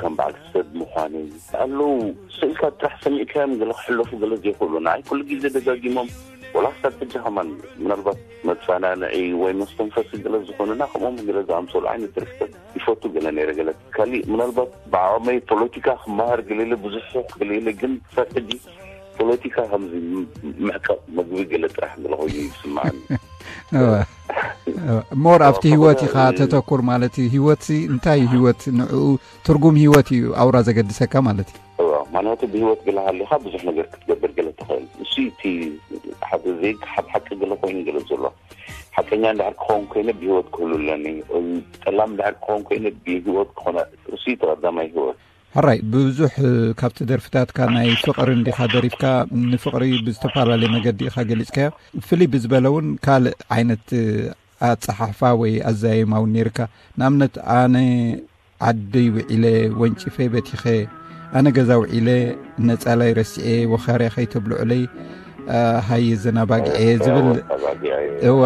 ከም በዓል ሰብ ምዃነይ ኣለዉ ስእልታት ጥራሕ ሰሚዕካዮም ገለ ክሕለፉ ገለ ዘይኽእሉ ንዓይ ኩሉ ግዜ ደጋጊሞም ወላ ክሳብ ሕጂ ከማን ምናልባት መፀናንዒ ወይ መስተንፈሲ ገለ ዝኾኑና ከምኦም ገለ ዝኣምሰሉ ዓይነት ደርፍታት ይፈቱ ገለ ነይረ ገለ ካሊእ ምናልባት ብዓቕመይ ፖለቲካ ክመሃር ገለ ኢለ ብዙሕ ሱቕ ገለ ኢለ ግን ክሳብ ሕጂ ፖለቲካ ከምዚ ምዕቃብ መግቢ ገለ ጥራሕ ገለ ኮይኑ ይስምዓኒ። ሞር ኣብቲ ህይወት ኢኻ ተተኩር ማለት እዩ። ህይወት እንታይ እዩ? ህይወት ንዕኡ ትርጉም ህይወት እዩ ኣውራ ዘገድሰካ ማለት እዩ። እዋ፣ ምኽንያቱ ብህይወት ገለ ሃሊኻ ብዙሕ ነገር ክትገብር ገለ ትኽእል። እሱ እቲ ሓደ ዘይከሓድ ሓቂ ገለ ኮይኑ ገለ ዘሎ። ሓቀኛ እንድሕር ክኸውን ኮይነ ብህይወት ክህሉ ኣለኒ። ጠላም እንድሕር ክኸውን ኮይነ ብህይወት ክኾነ እሱ እቲ ቀዳማይ ህይወት። ሕራይ፣ ብዙሕ ካብቲ ደርፍታትካ ናይ ፍቕሪ እንዲኻ ደሪፍካ፣ ንፍቕሪ ብዝተፈላለየ መገዲ ኢኻ ገሊጽካዮ። ፍልይ ብዝበለ እውን ካልእ ዓይነት ኣጸሓሕፋ ወይ ኣዛይማ እውን ነይርካ። ንኣብነት፣ ኣነ ዓደይ ውዒለ ወንጪፈይ በቲኸ፣ ኣነ ገዛ ውዒለ ነጻላይ ረሲዐ ወኻርያ ከይተብልዑለይ፣ ሃየ ዘናባግዐ ዝብል እወ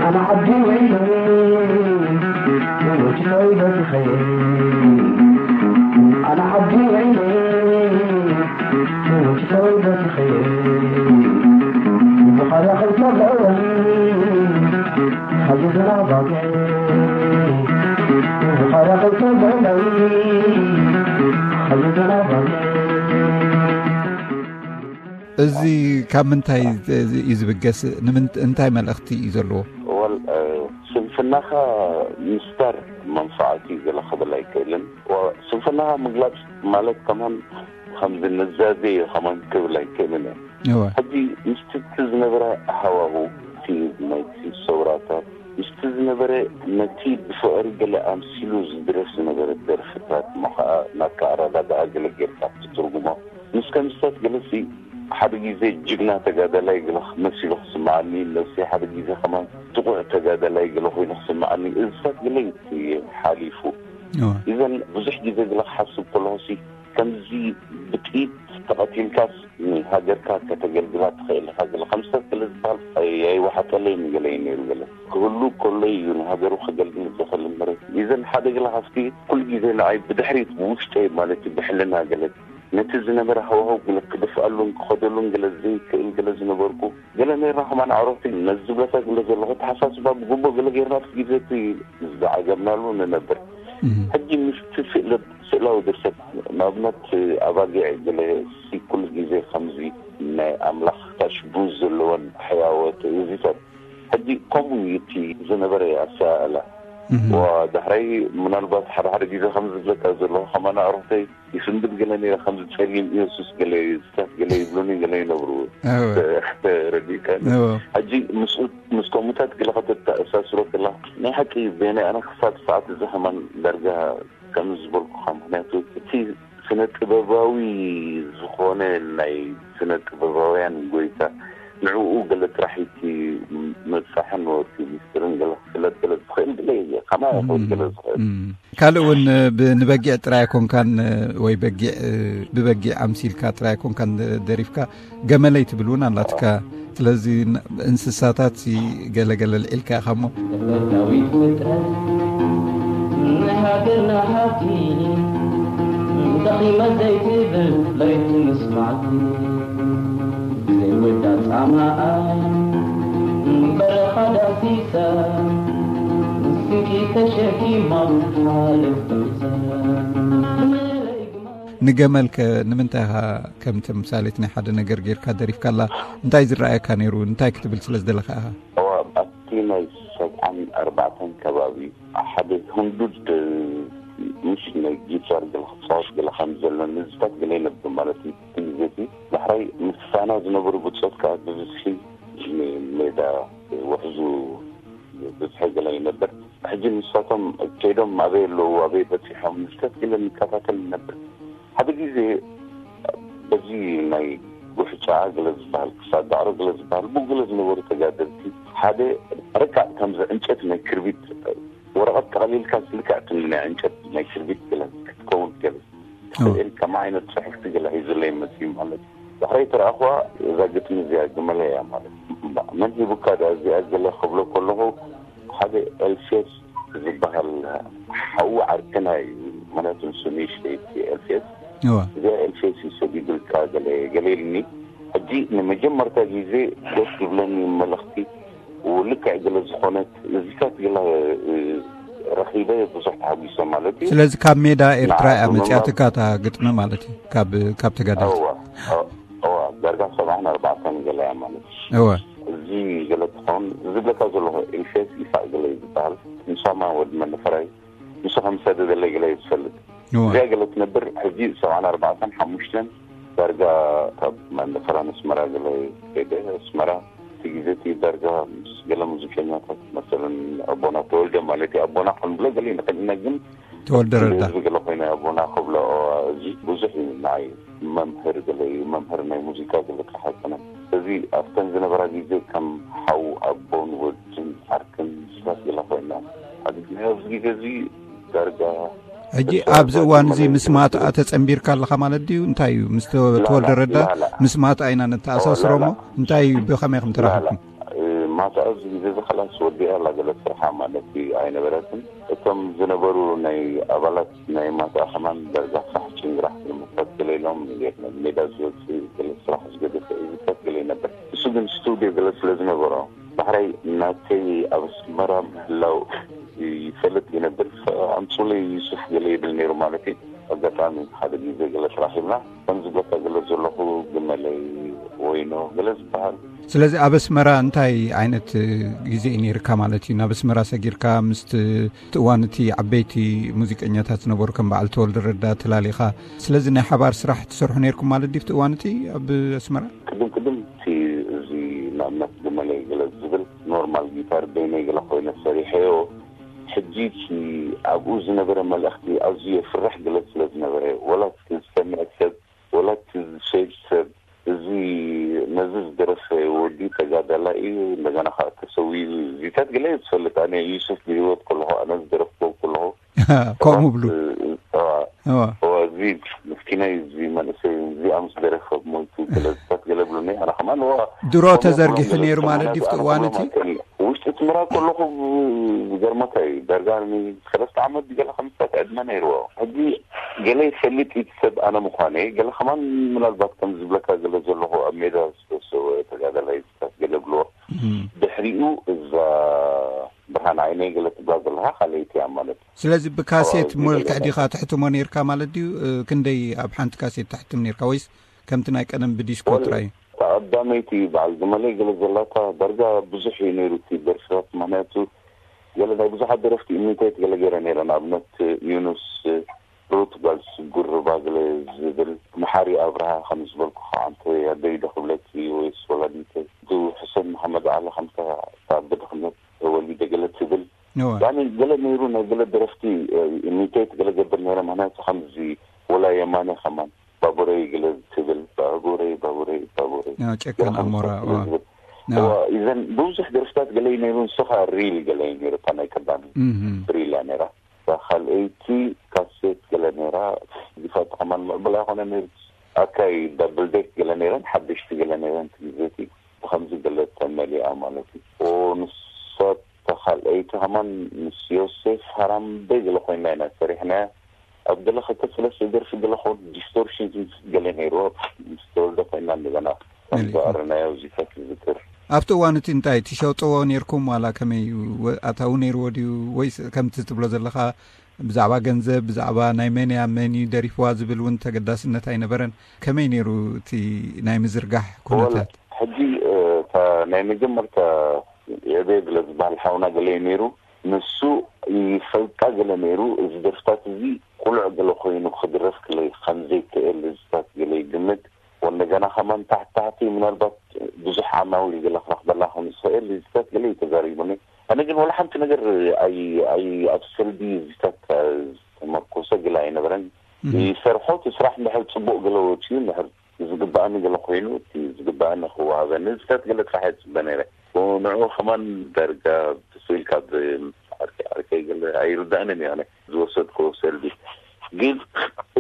ኣነ ዓዲ ውዒለ ወንጭፈይ በቲኸ ኣነ ዓዲ ውዒለ ወንጭፈይ በቲኸ ብኻርያ ከይተብልዑለይ ሃየ ዘናባግዐ ብኻርያ ከይተብልዑለይ ሃየ ዘናባግዐ እዚ ካብ ምንታይ እዩ ዝብገስ? እንታይ መልእኽቲ እዩ ዘለዎ? ወል ስንፍናኻ ምስታር መንፋዓት እዩ ገለ ክብል ኣይክእልን። ስንፍናኻ ምግላፅ ማለት ከማን ከምዚ ንዛዜ እዩ ከማን ክብል ኣይክእልን እየ። ሕጂ ምስቲ እቲ ዝነበረ ሃዋሁ እቲ ናይቲ ሰውራታት ምስቲ ዝነበረ ነቲ ብፍቕሪ ገለ ኣምሲሉ ዝድረፍ ዝነበረ ደርፍታት እሞ ከዓ ናትካ ኣረዳድኣ ገለ ጌርካ ክትትርጉሞ ምስ ከምስታት ገለሲ ሓደ ግዜ ጅግና ተጋዳላይ ገለ መሲሉ ክስምዓኒ ነብሲ ሓደ ግዜ ከማን ጥቑዕ ተጋዳላይ ገለ ኮይኑ ክስምዓኒ እዝታት ገለ እዩ ሓሊፉ። እዘን ብዙሕ ግዜ ገለ ክሓስብ ከለኹሲ ከምዚ ብጥይት ተቐቲልካስ ንሃገርካ ከተገልግላ ትኽእል ኢኻ ገለ ከምስታት ገለ ዝበሃል ወሓጠለይ ንገለ እዩ ነይሩ። ገለ ክህሉ ከሎ እዩ ንሃገሩ ከገልግል ዝኽእል እምበር፣ ይዘን ሓደ ገለ ካብቲ ኩሉ ግዜ ንዓይ ብድሕሪት ብውሽጠይ ማለት እዩ ብሕልና ገለ ነቲ ዝነበረ ሃዋህው ገለ ክድፍኣሉን ክኸደሉን ገለ ዘይክእል ገለ ዝነበርኩ ገለ ነይርና። ከማን ኣዕሩኽቲ ነዚ ዝብለካ ገለ ዘለኹ ተሓሳስባ ብግቡእ ገለ ጌርና ኣብቲ ግዜ እቲ ዝዓገብናሉ ንነብር። ሕጂ ምስቲ ስእለ-፣ ስእላዊ ድርሰት ንኣብነት ኣባጊዕ ገለ ሲ ኩሉ ግዜ ከምዚ ናይ ኣምላኽ ታሽቡ ዘለወን ሕያወ ትእዝዝታት ሕጂ ከምኡ እዩ እቲ ዝነበረ ኣሰኣእላ። ወዳሕራይ ምናልባት ሓደ ሓደ ግዜ ከም ዝብለካ ዘለኹ ከማን ኣዕሩኽተይ ይፍንድል ገለ ነይረ፣ ከምዚ ጸሊም ኢየሱስ ገለ፣ ስታት ገለ ይብሉኒ ገለ ይነብሩ። ተረዲእካ? ሕጂ ምስ ምስ ከምኡታት ገለ ከተተኣሳስሮ ከላ ናይ ሓቂ በየናይ ኣነ ክሳብ ሰዓት እዚ ከማን ዳርጋ ከም ዝበልኩኻ፣ ምክንያቱ እቲ ስነ ጥበባዊ ዝኾነ ናይ ስነ ጥበባውያን ጎይታ ንዕኡ ገለ ጥራሕ እቲ ምብጻሕን ወቲ ሚስጥርን ገለ ክፍለጥ ገለ ዝኽእል ገለ ከማ ይኽእል ገለ ዝኽእል። ካልእ እውን ንበጊዕ ጥራይ ኣይኮንካን፣ ወይ በጊዕ ብበጊዕ ኣምሲልካ ጥራይ ኣይኮንካን ደሪፍካ፣ ገመለይ ትብል እውን ኣላትካ። ስለዚ እንስሳታት ገለገለ ልዒልካ ኢኻ እሞ። ዳዊት ፍጥረት ንሃገርና ሃብቲ ደኺመ ዘይትብል ለይቲ ምስ መዓልቲ ዘይወዳ ጻማኣ በረኻ ዳሲሳ ስንቂ ተሸኪማ ትሓልፍ ጥምሳ። ንገመል ከ ንምንታይ ኢኻ ከም ተምሳሌት ናይ ሓደ ነገር ጌርካ ደሪፍካላ? እንታይ ዝረኣየካ ነይሩ? እንታይ ክትብል ስለ ዝደለኻ ኢኻ? እዋ ኣብቲ ናይ ሰብዓን ኣርባዕተን ከባቢ ሓደ ህንዱድ ምሽ ናይ ጊታር ገለ ክፃወት ገለ ከም ዘሎ ንዝታት ገለ ይነብር ማለት እዩ። እቲ ግዜ እቲ ዳሕራይ ምስፋና ዝነበሩ ብፆት ከዓ ብብዝሒ ሜዳ ውሕዙ ብዝሒ ገለ ይነብር። ሕጂ ንሳቶም ከይዶም ኣበይ ኣለዉ ኣበይ በፂሖም ንዝታት ገለ ንከታተል ንነብር። ሓደ ግዜ በዚ ናይ ጉሕጫ ገለ ዝበሃል ክሳድ ዳዕሮ ገለ ዝበሃል ብኡ ገለ ዝነበሩ ተጋደልቲ ሓደ ረቃዕ ከምዚ ዕንጨት ናይ ክርቢት ወረቐት ጠቕሊልካ ልክዕ ትኒ ናይ ዕንጨት ናይ ክርቢት ገለ ክትከውን ገለ ስእል ከማ ዓይነት ፅሕፍቲ ገለ ሒዙለይ መፅዩ ማለት እዩ። ድሕረይ ተረኣኽዋ እዛ ግጥሚ እዚኣ ግመለ እያ ማለት እዩ። እምባ መን ሂቡካ ዳ እዚኣ ገለ ክብሎ ከለኹ ሓደ ኤልፌስ ዝበሃል ሓዉ ዓርክና እዩ። ምክንያቱ ንሱ ንእሽተይ እቲ ኤልፌስ እዋ እዚኣ ኤልፌስ እዩ ሰዲዱልካ ገለ ገለ ኢልኒ። ሕጂ ንመጀመርታ ግዜ ደስ ዝብለኒ መልእኽቲ ልክዕ ገለ ዝኾነት እዚታት ገለ ረኺበ ብዙሕ ተሃጒሰ ማለት እዩ። ስለዚ ካብ ሜዳ ኤርትራ እያ መጽያትካ እታ ግጥሚ ማለት እዩ። ካብ ካብ ተጋደልቲ እዋ እዋ ዳርጋ ሰብዓን ኣርባዕተን ገለ እያ ማለት እዩ። እዋ እዚ ገለ ትኸውን ዝብለካ ዘለኹ ኤልፌስ ይሳቅ ገለ እዩ ዝበሃል። ንሳማ ወዲ መንፈራይ ንሱ ከም ዝሰደደለይ ገለ እዩ ዝፈልጥ። እዋ እዚኣ ገለ ትነብር ሕጂ ሰብዓን ኣርባዕተን ሓሙሽተን ዳርጋ ካብ መንፈራ ንስመራ ገለ ከይደ ኣስመራ እቲ ግዜ እቲ ዳርጋ ምስ ገለ ሙዚቀኛታት መሰለን ኣቦና ተወልደ ማለት እዩ ኣቦና ክንብሎ ገለ ንኽእል ኢና ግን ተወልደ ረዳ ህዝቢ ገለ ኮይነ ኣቦና ክብሎ እዚ ብዙሕ እዩ ንዓይ መምህር ገለ እዩ መምህር ናይ ሙዚቃ ገለ ተሓፀነ እዚ ኣብተን ዝነበራ ግዜ ከም ሓው ኣቦን ወድን ዓርክን ስባት ገለ ኮይና ሓዲግናዮ ኣብዚ ግዜ እዚ ዳርጋ ሕጂ ኣብዚ እዋን እዚ ምስ ማትኣ ተጸንቢርካ ኣለኻ ማለት ድዩ? እንታይ እዩ? ምስ ተወልደ ረዳ ምስ ማትኣ ኢና ነተኣሳስሮ እሞ እንታይ እዩ? ብኸመይ ከም ተራኸብኩም? ማትኣ ኣብዚ ግዜ እዚ ኸላስ ወዲኣ ኣላ ገለ ስርሓ ማለት እዩ ኣይነበረትን። እቶም ዝነበሩ ናይ ኣባላት ናይ ማትኣ ከማን ዳርጋ ፋሕ ጭንግራሕ ንምታት ገለ ኢሎም ሜዳ ዝወፅእ ገለ ስራሕ ዝገደፈ እዩ ዝታት ገለ ይነበር። እሱ ግን ስቱድዮ ገለ ስለ ዝነበሮ ባሕራይ ናተይ ኣብ ኣስመራ ምህላው ይፈልጥ ይነብር። ኣምፁለይ ዩሱፍ ገለ ይብል ነይሩ ማለት እዩ። ኣጋጣሚ ሓደ ግዜ ገለ ተራኺብና ከም ዝብለካ ገለ ዘለኹ ግመለይ ወይኖ ገለ ዝበሃል። ስለዚ ኣብ ኣስመራ እንታይ ዓይነት ግዜ እዩ ነይርካ ማለት እዩ? ናብ ኣስመራ ሰጊርካ ምስ እቲ እዋን እቲ ዓበይቲ ሙዚቀኛታት ዝነበሩ ከም በዓል ተወልደ ረዳ ተላሊኻ ስለዚ ናይ ሓባር ስራሕ ትሰርሑ ነይርኩም ማለት ድዩ ኣብቲ እዋን እቲ ኣብ ኣስመራ? ቅድም ቅድም እቲ እዚ ንኣብነት ግመለይ ገለ ዝብል ኖርማል ጊታር በይነይ ገለ ኮይነ ሰሪሐዮ። ሕጂ እቲ ኣብኡ ዝነበረ መልእኽቲ ኣዝዩ የፍርሕ ገለ ስለ ዝነበረ ወላ እቲ ዝሰምዕ ሰብ ወላ እቲ ዝሸይድ ሰብ እዚ ነዚ ዝደረፈ ወዲ ተጋዳላይ እዩ እንደገና ከዓ ተሰዊኡ እዚታት ገለ ዝፈልጥ ኣነ ዩሱፍ ብህይወት ከለኹ ኣነ ዝደረፍኩ ከለኹ ከምኡ ብሉ እዚ ምስኪናይ እዚ መንእሰይ እዚኣ ምስ ደረፈ ሞይቱ ገለዝታት ገለ ብሉኒ ኣነ ከማን እዋ ድሮ ተዘርጊሑ ነይሩ ማለት ድዩ ኣብቲ እዋን እቲ? ውሽጢ እቲ ምራብ ከለኹ ዝገርመካ እዩ። ደርጋ ንሰለስተ ዓመት ገለ ከምስታት ዕድመ ነይርዎ። ሕጂ ገለ ይፈልጥ እዩ እቲ ሰብ ኣነ ምዃነይ። ገለ ከማን ምናልባት ከም ዝብለካ ገለ ዘለኹ ኣብ ሜዳ ዝተሰወ ተጋዳላይ ዝታት ገለ ብልዎ። ድሕሪኡ እዛ ብርሃን ዓይነይ ገለ ትብላ ዘለኻ ካልኣይቲ እያ ማለት እዩ። ስለዚ ብካሴት ኣዎ፣ እዚ መልክዕ ገለ ዲኻ ትሕትሞ ነይርካ ማለት ድዩ? ክንደይ ኣብ ሓንቲ ካሴት ተሕትም ነይርካ ወይስ ከምቲ ናይ ቀደም ብዲስኮ ጥራይ? ተቐዳመይቲ በዓል ግመለይ ገለ ዘላታ ዳርጋ ብዙሕ እዩ ነይሩ እቲ ደርፍታት። ምኽንያቱ ገለ ናይ ብዙሓት ደረፍቲ ኢሚቴት ገለ ገይረ ነይረ። ንኣብነት ዩኑስ ሩት ጓል ስጉር ሩባ ገለ ዝብል፣ መሓሪ ኣብርሃ ከም ዝበልኩ ከዓ፣ ኣንተ ኣደይ ዶ ክብለኪ ወይስ ወላዲተይ፣ ዱ ሕሰን መሓመድ ዓሊ ከምታ እታ ብድኽነት ተወሊደ ገለ ትብል። እወ። ያኒ ገለ ነይሩ፣ ናይ ገለ ደረፍቲ ኢሚቴት ገለ ገብር ነይረ። ምኽንያቱ ከምዚ ወላ የማነ ከማን ባቡረይ ገለ ትብል፣ ባቡረይ፣ ባቡረይ፣ ባቡረይ። ያ ጨካን ገለ ኣሞራ፣ ከምዚ እወ። ዝብል። እወ። እወ፣ እዘን ብዙሕ ደርፍታት ገለ እዩ ነይሩ፣ ንሱ ኸዓ ሪል ገለ እዩ ነይሩ፣ እታ ናይ ቀዳሚ እህ። ሪል እያ ነይራ። እታ ካልኣይቲ ካሴት ገለ ነይራ፣ ዝፋት ከማን ምዕቡል ኣይኮነ ነይሩ። ኣካይ ዳብል ዴክ ገለ ነይረን፣ ሓደሽቲ ገለ ነይረን፣ እቲ ግዜ እቲ ብኸምዚ ገለ ተመሊኣ ማለት እዩ። ንሳ እታ ካልኣይቲ ከማን ምስ ዮሴፍ ሃራምበ ገለ ኮይና ኢና ሰሪሕናያ። ኣብ ገለ ክልተ ሰለስተ ደርፊ ገለ ኾን ዲስቶርሽን ገለ ነይርዎ፣ ምስ ተወልደ ኮይና እንደገና ከም መሊኹ። ዝኣረናዮ እዚታት ይዝክር። ኣብቲ እዋን እቲ እንታይ ትሸጥዎ ነይርኩም ዋላ ከመይ ወ-፣ ኣታዊ ነይርዎ ድዩ? ወይስ ከምቲ ትብሎ ዘለኻ ብዛዕባ ገንዘብ፣ ብዛዕባ ናይ መን እያ፣ መን እዩ ደሪፍዋ ዝብል እውን ተገዳስነት ኣይነበረን? ከመይ ነይሩ እቲ ናይ ምዝርጋሕ ኩነታት? ወል-፣ ሕጂ፣ እ፣ እታ ናይ መጀመርታ የዕቤ ገለ ዝበሃል ሓውና ገለ እዩ ነይሩ። ንሱ ይፈልጣ ገለ ነይሩ። እዚ ደርፍታት እዚ ቁሉዕ ገለ ኮይኑ ክድረፍ ገለ ከም ዘይክእል እዚታት ገለ ይግምት። ወንደገና ከማን ታሕቲ ታሕቲ ምናልባት ብዙሕ ዓማዊል ገለ ክረኽበላ ከም ዝኽእል እዚታት ገለ እዩ ተዛሪቡኒ። ኣነ ግን ወላ ሓንቲ ነገር ኣይ-፣ ኣይ-፣ ኣብ ሰልቢ እዚታት ዝተመርኮሰ ገለ ኣይነበረን። እህ። ይሰርሖ እቲ ስራሕ እንድሕር ጽቡቕ ገለ ወጺኡ፣ እንድሕር ዝግባኣኒ ገለ ኮይኑ፣ እቲ ዝግባኣኒ ክወሃበኒ፣ እዚታት ገለ ጥራሕ እየ ዝጽበ ነይረ። ንዕኡ ከማን ዳርጋ ብስኢል ካብ ዓርከይ፣ ዓርከይ ገለ ኣይርዳእንን እዩ ኣነ ዝወሰድኮ ሰልቢ። ግን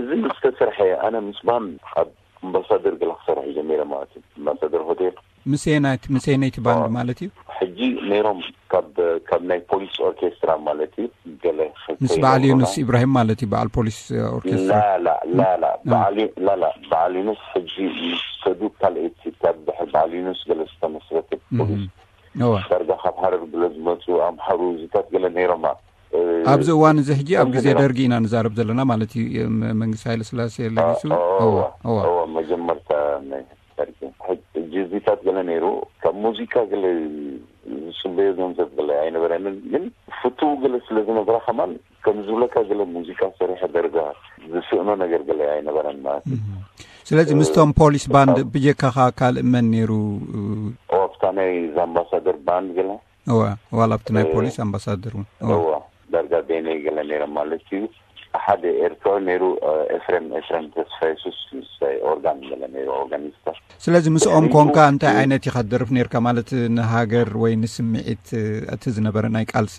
እዚ ምስ ተሰርሐ፣ ኣነ ምስ ባን ኣብ ኣምባሳደር ገለ ክሰርሕ ጀሚረ ማለት እዩ። ኣምባሳደር ሆቴል። ምስ የናይት-፣ ምስ የነይቲ ባንድ ማለት እዩ? ሕጂ ነይሮም ካብ፣ ካብ ናይ ፖሊስ ኦርኬስትራ ማለት እዩ። ገለ ምስ ክልተ በዓል ይነግሩና። ዩኑስ ኢብራሂም ማለት እዩ፣ በዓል ፖሊስ ኦርኬስትራ። ላላ፣ ላላ፣ እ። በዓል ዩ-፣ ላላ፣ በዓል ዩኑስ ሕጂ ምስ ሰዱ ካልኣይቲ ካብ ድሕሪ በዓል ዩኑስ ገለ ዝተመስረተ እህ። ፖሊስ። እወ። ዳርጋ ካብ ሃረር ገለ ዝመጹ ኣምሓሩ እዚታት ገለ ነይሮማ። እ፣ ኣብዚ እዋን እዚ ሕጂ ኣብ ከምዚ ግዜ ነይሮም። ደርጊ ኢና ንዛረብ ዘለና ማለት እዩ። ም-፣ መንግስቲ ሃይለ ስላሴ ለጊሱ። እ፣ እወ፣ እወ፣ እወ። እወ፣ መጀመርታ ናይ ደርጊ። ሕጂ እዚታት ገለ ነይሩ፣ ካብ ሙዚቃ ገለ ዝጽበዮ ገንዘብ ገለ ኣይነበረንን፣ ግን ፍቱው ገለ ስለ ዝነበረ ከማን ከም ዝብለካ ገለ ሙዚቃ ሰሪሐ ደርጋ ዝስእኖ ነገር ገለ ኣይነበረን ማለት እዩ። እህ። ስለዚ ምስቶም ፖሊስ ባንድ ካብ ብጀካኻ ካልእ መን ነይሩ? ኦ፣ ኣብታ ናይ ዛምባሳደር ባንድ ገለ? እወ፣ ዋላ ኣብቲ ናይ እ፣ ፖሊስ ኣምባሳደር እውን። እወ። እወ፣ ዳርጋ በይነይ ገለ ነይረ ማለት እዩ። ሓደ ኤርትራዊ ነይሩ፣ እ፣ ኤፍሬም፣ ኤፍሬም ተስፋ የሱስ፣ ምስታይ ኦርጋን ገለ ነይሩ፣ ኦርጋኒስታ። ስለዚ ምስኦም ድሕሪኡ ኮንካ እንታይ እ፣ ዓይነት ኢኻ ትደርፍ ነይርካ? ማለት ንሃገር ወይ ንስምዒት፣ እ፣ እቲ ዝነበረ ናይ ቃልሲ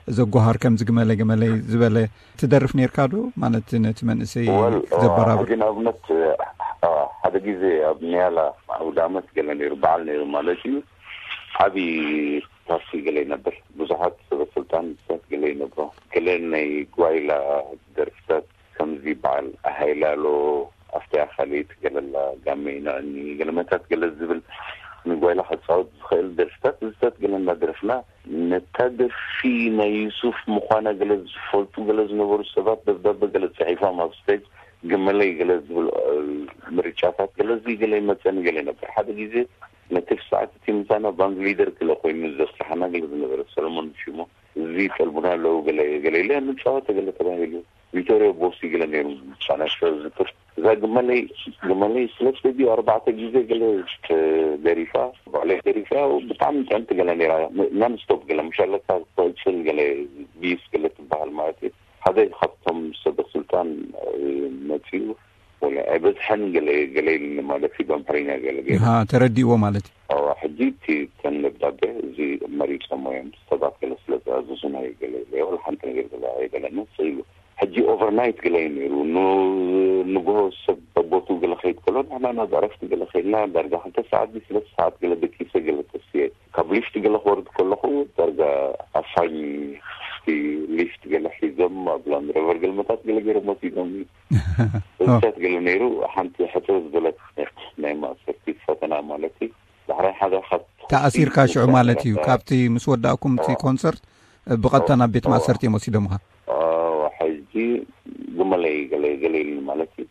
ዘጓሃር ከምዚ ግመለ ግመለይ ዝበለ ትደርፍ ነይርካ ዶ? ማለት ነቲ መንእሰይ ወል፣ እ፣ ዘበራብር? ሕጂ ንኣብነት፣ እ፣ እ፣ ሓደ ግዜ ኣብ ኒያላ ኣውደ ዓመት ገለ ነይሩ፣ በዓል ነይሩ ማለት እዩ። ዓቢ ፓርቲ ገለ ይነብር። ብዙሓት ሰበ ስልጣን ሰባት ገለ ይነብሮ። ገለ ናይ ጓይላ ደርፍታት ከምዚ በዓል ሃይላሎ፣ ኣፍትያ ካልኢት ገለላ፣ ጋመ ይንዕኒ፣ ገለመታት ገለ ዝብል ንጓይላ ክጻወት ዝኽእል ደርፍታት፣ እዚታት ገለ እናደረፍና፣ ነታ ደርፊ ናይ ዩሱፍ ምዃና ገለ ዝፈልጡ ገለ ዝነበሩ ሰባት ደብዳበ ገለ ጽሒፎም ኣብ ስቴጅ ግመለይ ገለ ዝብል፣ እ፣ ምርጫታት ገለ እዚ ገለ ይመጸኒ ገለ ነበር። ሓደ ግዜ ነቲ ሰዓት እቲ ምሳና ባንድ ሊደር ገለ ኮይኑ ዘስርሓና ገለ ዝነበረ ሰለሞን ሽሙ፣ እዚ ይጠልቡና ኣለዉ ገለ፣ ገለ ኢለ ንጻወት ገለ ተባሂሉ። ቪቶሪዮ ቦሲ ገለ ነይሩ፣ ፋናሾ ዝክር። እዛ ግመለይ፣ ግመለይ ሰለስተ ድዩ ኣርባዕተ ግዜ ገለ ተደሪፋ፣ ባዕለይ ደሪፋ፣ ብጣዕሚ ጥዕምቲ ገለ ነይራ። ናን ስቶፕ ገለ፣ ምሻለካ ትቕጽል ገለ፣ ቢስ ገለ ትበሃል ማለት እዩ። ሓደ ካብቶም ሰበ ስልጣን፣ እ፣ መጺኡ፣ ወላ ኣይበዝሐን ገለ፣ ገለ ኢሉኒ ማለት እዩ፣ ብኣምሓርኛ ገለ ገይሩ። ሃ፣ ተረዲእዎ ማለት እዩ። ኣዋ፣ ሕጂ እቲ፣ እተን ደብዳቤ እዚ መሪጾሞ እዮም፣ ሰባት ገለ ስለ ዝኣዘዙና እዩ ገለ ኢለ፣ ወላ ሓንቲ ነገር ገለ ኣይበለንን፣ ስቕ ኢሉ። ሕጂ ኦቨርናይት ገለ እዩ ነይሩ። ን-፣ ንግሆ ሰብ ቦቱ ገለ ከይድ ከሎ፣ ንሕና ናብ ዕረፍቲ ገለ ከይድና፣ ዳርጋ ክልተ ሰዓት ድዩ ሰለስተ ሰዓት ገለ ደቂሰ ገለ ተስየ። ካብ ሊፍት ገለ ክወርድ ከለኹ፣ ዳርጋ ኣፋኝ ሊፍት ገለ ሒዞም፣ ኣብ ላንድ ሮቨር ገለ መታት ገለ ገይሮም ወሲዶም። እሳት ገለ ነይሩ፣ ሓንቲ ሕጽር ዝበለት ናይ ማእሰርቲ ፈተና ማለት እዩ። ዳሕራይ ሓደ ካብ ተኣሲርካ ሽዑ ማለት እዩ። ካብቲ ምስ ወዳእኩም እቲ ኮንሰርት ብቐጥታ ናብ ቤት ማእሰርቲ እዮም ወሲዶምኻ? ሕጂ ግመለይ ገለ ገለ ኢሉኒ ማለት እዩ።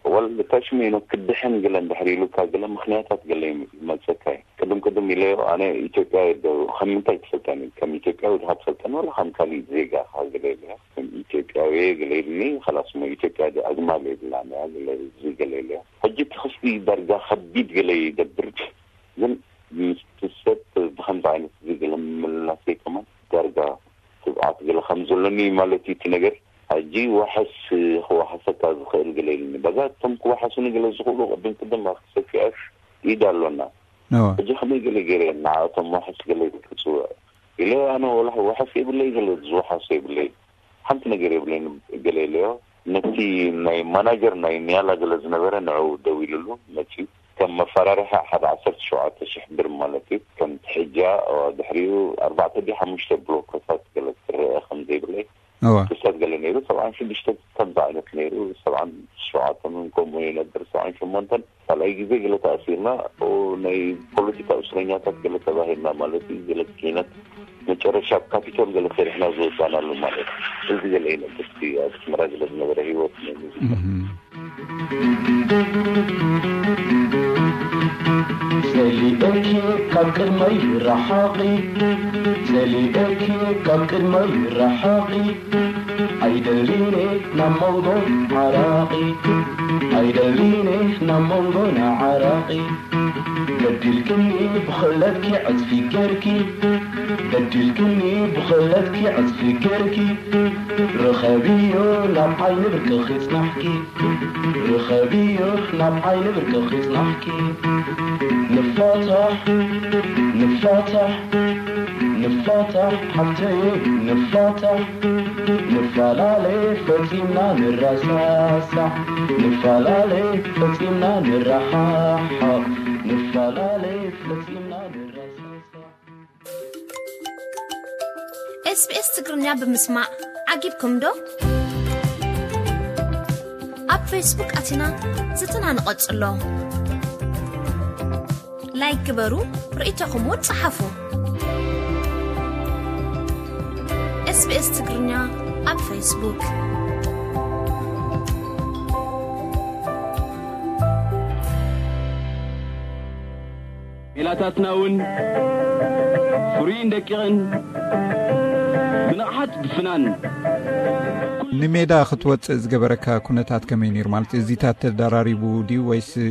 ወል ታሽሚኖ ክድሕን ገለ እንድሕር ኢሉካ፣ ገለ ምኽንያታት ገለ ይመጸካ እዩ። ቅድም ቅድም ኢለዮ፣ ኣነ ኢትዮጵያ ዶ ከም ምንታይ ትፈልጠኒ? ከም ኢትዮጵያዊ ድኻ ትፈልጠኒ፣ ወላ ከም ካሊእ ዜጋ ኢኻ? ገለ ኢለዮ። ከም ኢትዮጵያዊ ገለ ኢሉኒ። ኸላስ፣ እሞ ኢትዮጵያ ዶ ኣግማል የብላን እያ? ገለ እዚ ገለ ኢለዮ። ሕጂ እቲ ክሲ ዳርጋ ከቢድ ገለ ይገብር፣ ግን ምስቲ ሰብ ብኸምዚ ዓይነት እዚ ገለ ምምላሰይ ከማን ዳርጋ ትብዓት ገለ ከም ዘለኒ ማለት እዩ እቲ ነገር። ሕጂ ዋሕስ ክዋሓሰካ ዝኽእል ገለ የለን። በዛ እቶም ክዋሓሱኒ ገለ ዝኽእሉ ቅድም ቅድም ኣብ ሰፊኣሽ ኢድ ኣሎና። ሕጂ ከመይ ገለ ገይረ ንዓቶም ዋሕስ ገለ ክጽውዕ ኢለ፣ ኣነ ወላ ዋሕስ የብለይ፣ ገለ ዝወሓሶ የብለይ፣ ሓንቲ ነገር የብለይን ገለ ኢለዮ። ነቲ ናይ ማናጀር ናይ ኒያላ ገለ ዝነበረ ንዕኡ ደዊሉሉ መጺኡ። ከም መፈራርሒ ሓደ ዓሰርተ ሸውዓተ ሽሕ ብር ማለት እዩ። ከም ትሕጃ፣ ድሕሪኡ ኣርባዕተ ድዩ ሓሙሽተ ብሎኮታት ገለ ክረአ ከም ዘይብለይ እዋ። ክስተት ገለ ነይሩ። ሰብዓን ሽዱሽተ ከምዚ ዓይነት ነይሩ። ሰብዓን ሸውዓተን እውን ከምኡ ይነብር። ሰብዓን ሸሞንተን ካልኣይ ግዜ ገለ ተኣሲርና፣ ኦ፣ ናይ ፖለቲካ እስረኛታት ገለ ተባሂልና ማለት እዩ። ገለ ኪነት መጨረሻ ኣብ ካፒቶል ገለ ሰሪሕና ዝወፃናሉ ማለት እዩ። እዚ ገለ ይነብር እቲ ኣብ ኣስመራ ገለ ዝነበረ ህይወት ናይ ሙዚቃ። እህም። ዘሊእኪ ካብ ቅድመይ ርሓቒ፣ ዘሊእኪ ካብ ቅድመይ ርሓቒ፣ ኣይደሊን እየ ናብ መንጎ ዓራቒ፣ ኣይደሊን እየ ናብ መንጎ ንዓራቒ። በዲልክኒ ብኽእለትኪ ዕጽፊ ጌርኪ፣ በዲልክኒ ብኽእለትኪ ዕጽፊ ጌርኪ፣ ርኸብዮ ናብ ዓይኒ ብርክኺ ጽናሕኪ፣ ርኸብዮ ናብ ዓይኒ ብርክኺ ጽናሕኪ። ንፋታሕ፣ ንፋታሕ፣ ንፋታሕ ሓፍተየ፣ ንፋታሕ፣ ንፈላለ ፈጺምና ንረሳሳዕ፣ ንፈላለ ፈጺምና ንረሓሓቕ፣ ንፈላለ ፈጺምና ንረሳሳዕ። ኤስቢኤስ ትግርኛ ብምስማዕ ዓጊብኩም ዶ? ኣብ ፌስቡክ ኣቲና ዝትና ንቐጽሎ። ላይክ ግበሩ፣ ርእይቶኹም እውን ጸሓፉ። ኤስቢኤስ ትግርኛ ኣብ ፌስቡክ። ሜላታትና እውን ፍሩይን ደቂቕን ብንቕሓት ብፍናን። ንሜዳ ክትወጽእ ዝገበረካ ኩነታት ከመይ ነይሩ? ማለት እዚታት ተደራሪቡ ድዩ ወይስ፣ እ፣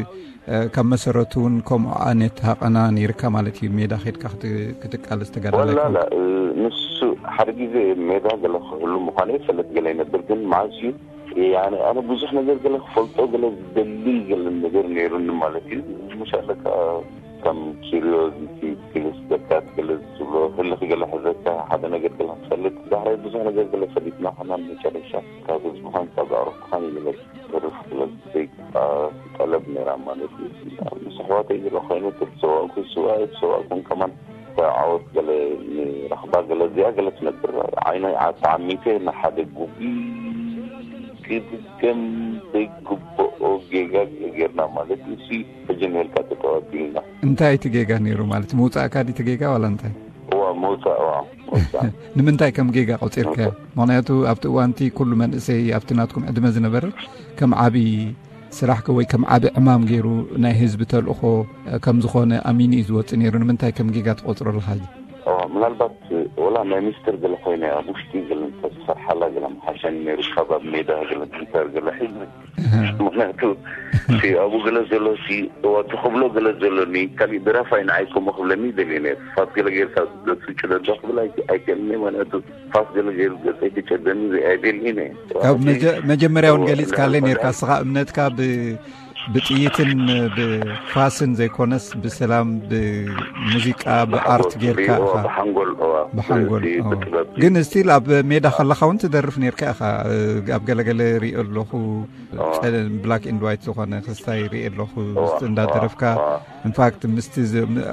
ካብ መሰረቱ እውን ከምኡ ዓይነት ሃቐና ነይርካ ማለት እዩ? ሜዳ ኸድካ ክት-፣ ክትቃለስ ተጋዳላይ ወላ ኮንካ? ላ፣ እ፣ ንሱ ሓደ ግዜ ሜዳ ገለ ክህሉ ምዃኑ ይፈልጥ ገለ ይነብር፣ ግን መዓስ እዩ? ያኔ ኣነ ብዙሕ ነገር ገለ ክፈልጦ ገለ ዝደሊ ገለ ነገር ነይሩኒ ማለት እዩ። ምሻለካ ከም ኪሪዮዚቲ፣ ኪሪዮስ ዘጋት ገለ ዝብሎ፣ ህልኽ ገለ ሕዘካ፣ ሓደ ነገር ገለ ክትፈልጥ፣ ዳሕራይ ብዙሕ ነገር ገለ ፈሊጥና ኾና፣ መጨረሻ ካብ ህዝብኻን ካብ ኣዕሩኽትኻን ይልበስ ተርፍ ገለ ዘይግባ ጠለብ ነይራ ማለት እዩ። ምስ ኣሕዋተይ ገለ ኮይኑ፣ ተተሰዋእኩ፣ ስዋ ኣይተሰዋእኩን ከማን፣ እታ ዓወት ገለ ንረኽባ፣ ገለ እዚኣ ገለ ትነብር። ዓይነይ ተዓሚተ ንሓደ ጉቢ ክድገም ዘይግብኦ ጌጋ ጌርና ማለት እዩ። እሲ ሕጂ ንህልካ ተጠዋቢልና። እንታይ እቲ ጌጋ ነይሩ ማለት? ምውጻእካ ድዩ እቲ ጌጋ ዋላ እንታይ? እዋ፣ ምውጻእ፣ እዋ፣ ምውጻእ። ንምንታይ ከም ጌጋ ቆጺርካዮ? ምውጻእ። ምኽንያቱ ኣብቲ እዋንቲ ኩሉ መንእሰይ ኣብቲ ናትኩም ዕድመ ዝነበረ ከም ዓቢ ስራሕ ከ ወይ ከም ዓቢ ዕማም ገይሩ ናይ ህዝቢ ተልእኾ ከም ዝኾነ ኣሚኑ እዩ ዝወጽእ ነይሩ። ንምንታይ ከም ጌጋ ትቆጽሮ ኣለኻ ሕጂ? እዋ፣ ምናልባት ወላ ናይ ሚስጥር ገለ ኮይነ ኣብ ውሽጢ ገለ እንተዝሰርሓላ ገለ ምሓሸኒ ነይሩ፣ ካብ ኣብ ሜዳ ገለ እንተር ገለ ሒዝኒ። እህ። ምኽንያቱ እቲ ኣብኡ ገለ ዘሎ፣ እቲ እዋ፣ እቲ ክብሎ ገለ ዘሎኒ፣ ካሊእ ደራፋይ ንዓይ ከምኡ ክብለኒ ይደልየ ነይሩ። ፋስ ገለ ጌርካ ገጹ ጭደዶ ክብል ኣይ-፣ ኣይክእልኒ፣ ምኽንያቱ ፋስ ገለ ገይሩ ገጸይ ክጨደኒ ዘይ-፣ ኣይደልይን እየ። ካብ መጀ-፣ መጀመርያ እውን እዋ፣ ገሊጽካለይ ምናልባት ኔርካ፣ ንስኻ እምነትካ ብ-፣ ብጥይትን ብፋስን ዘይኮነስ ብሰላም፣ ብሙዚቃ፣ ብኣርት ጌርካ ኢኻ። ብሓንጎል። ብሓንጎል። ግን ስቲል ኣብ ሜዳ ከለኻ እውን ትደርፍ ኔርካ ኢኻ። ኣብ ገለገለ ሪኦ ኣለኹ። ብላክ ኤንድ ዋይት ዝኾነ ክስታይ ሪኦ ኣለኹ። እንዳደረፍካ፣ ኢንፋክት ምስቲ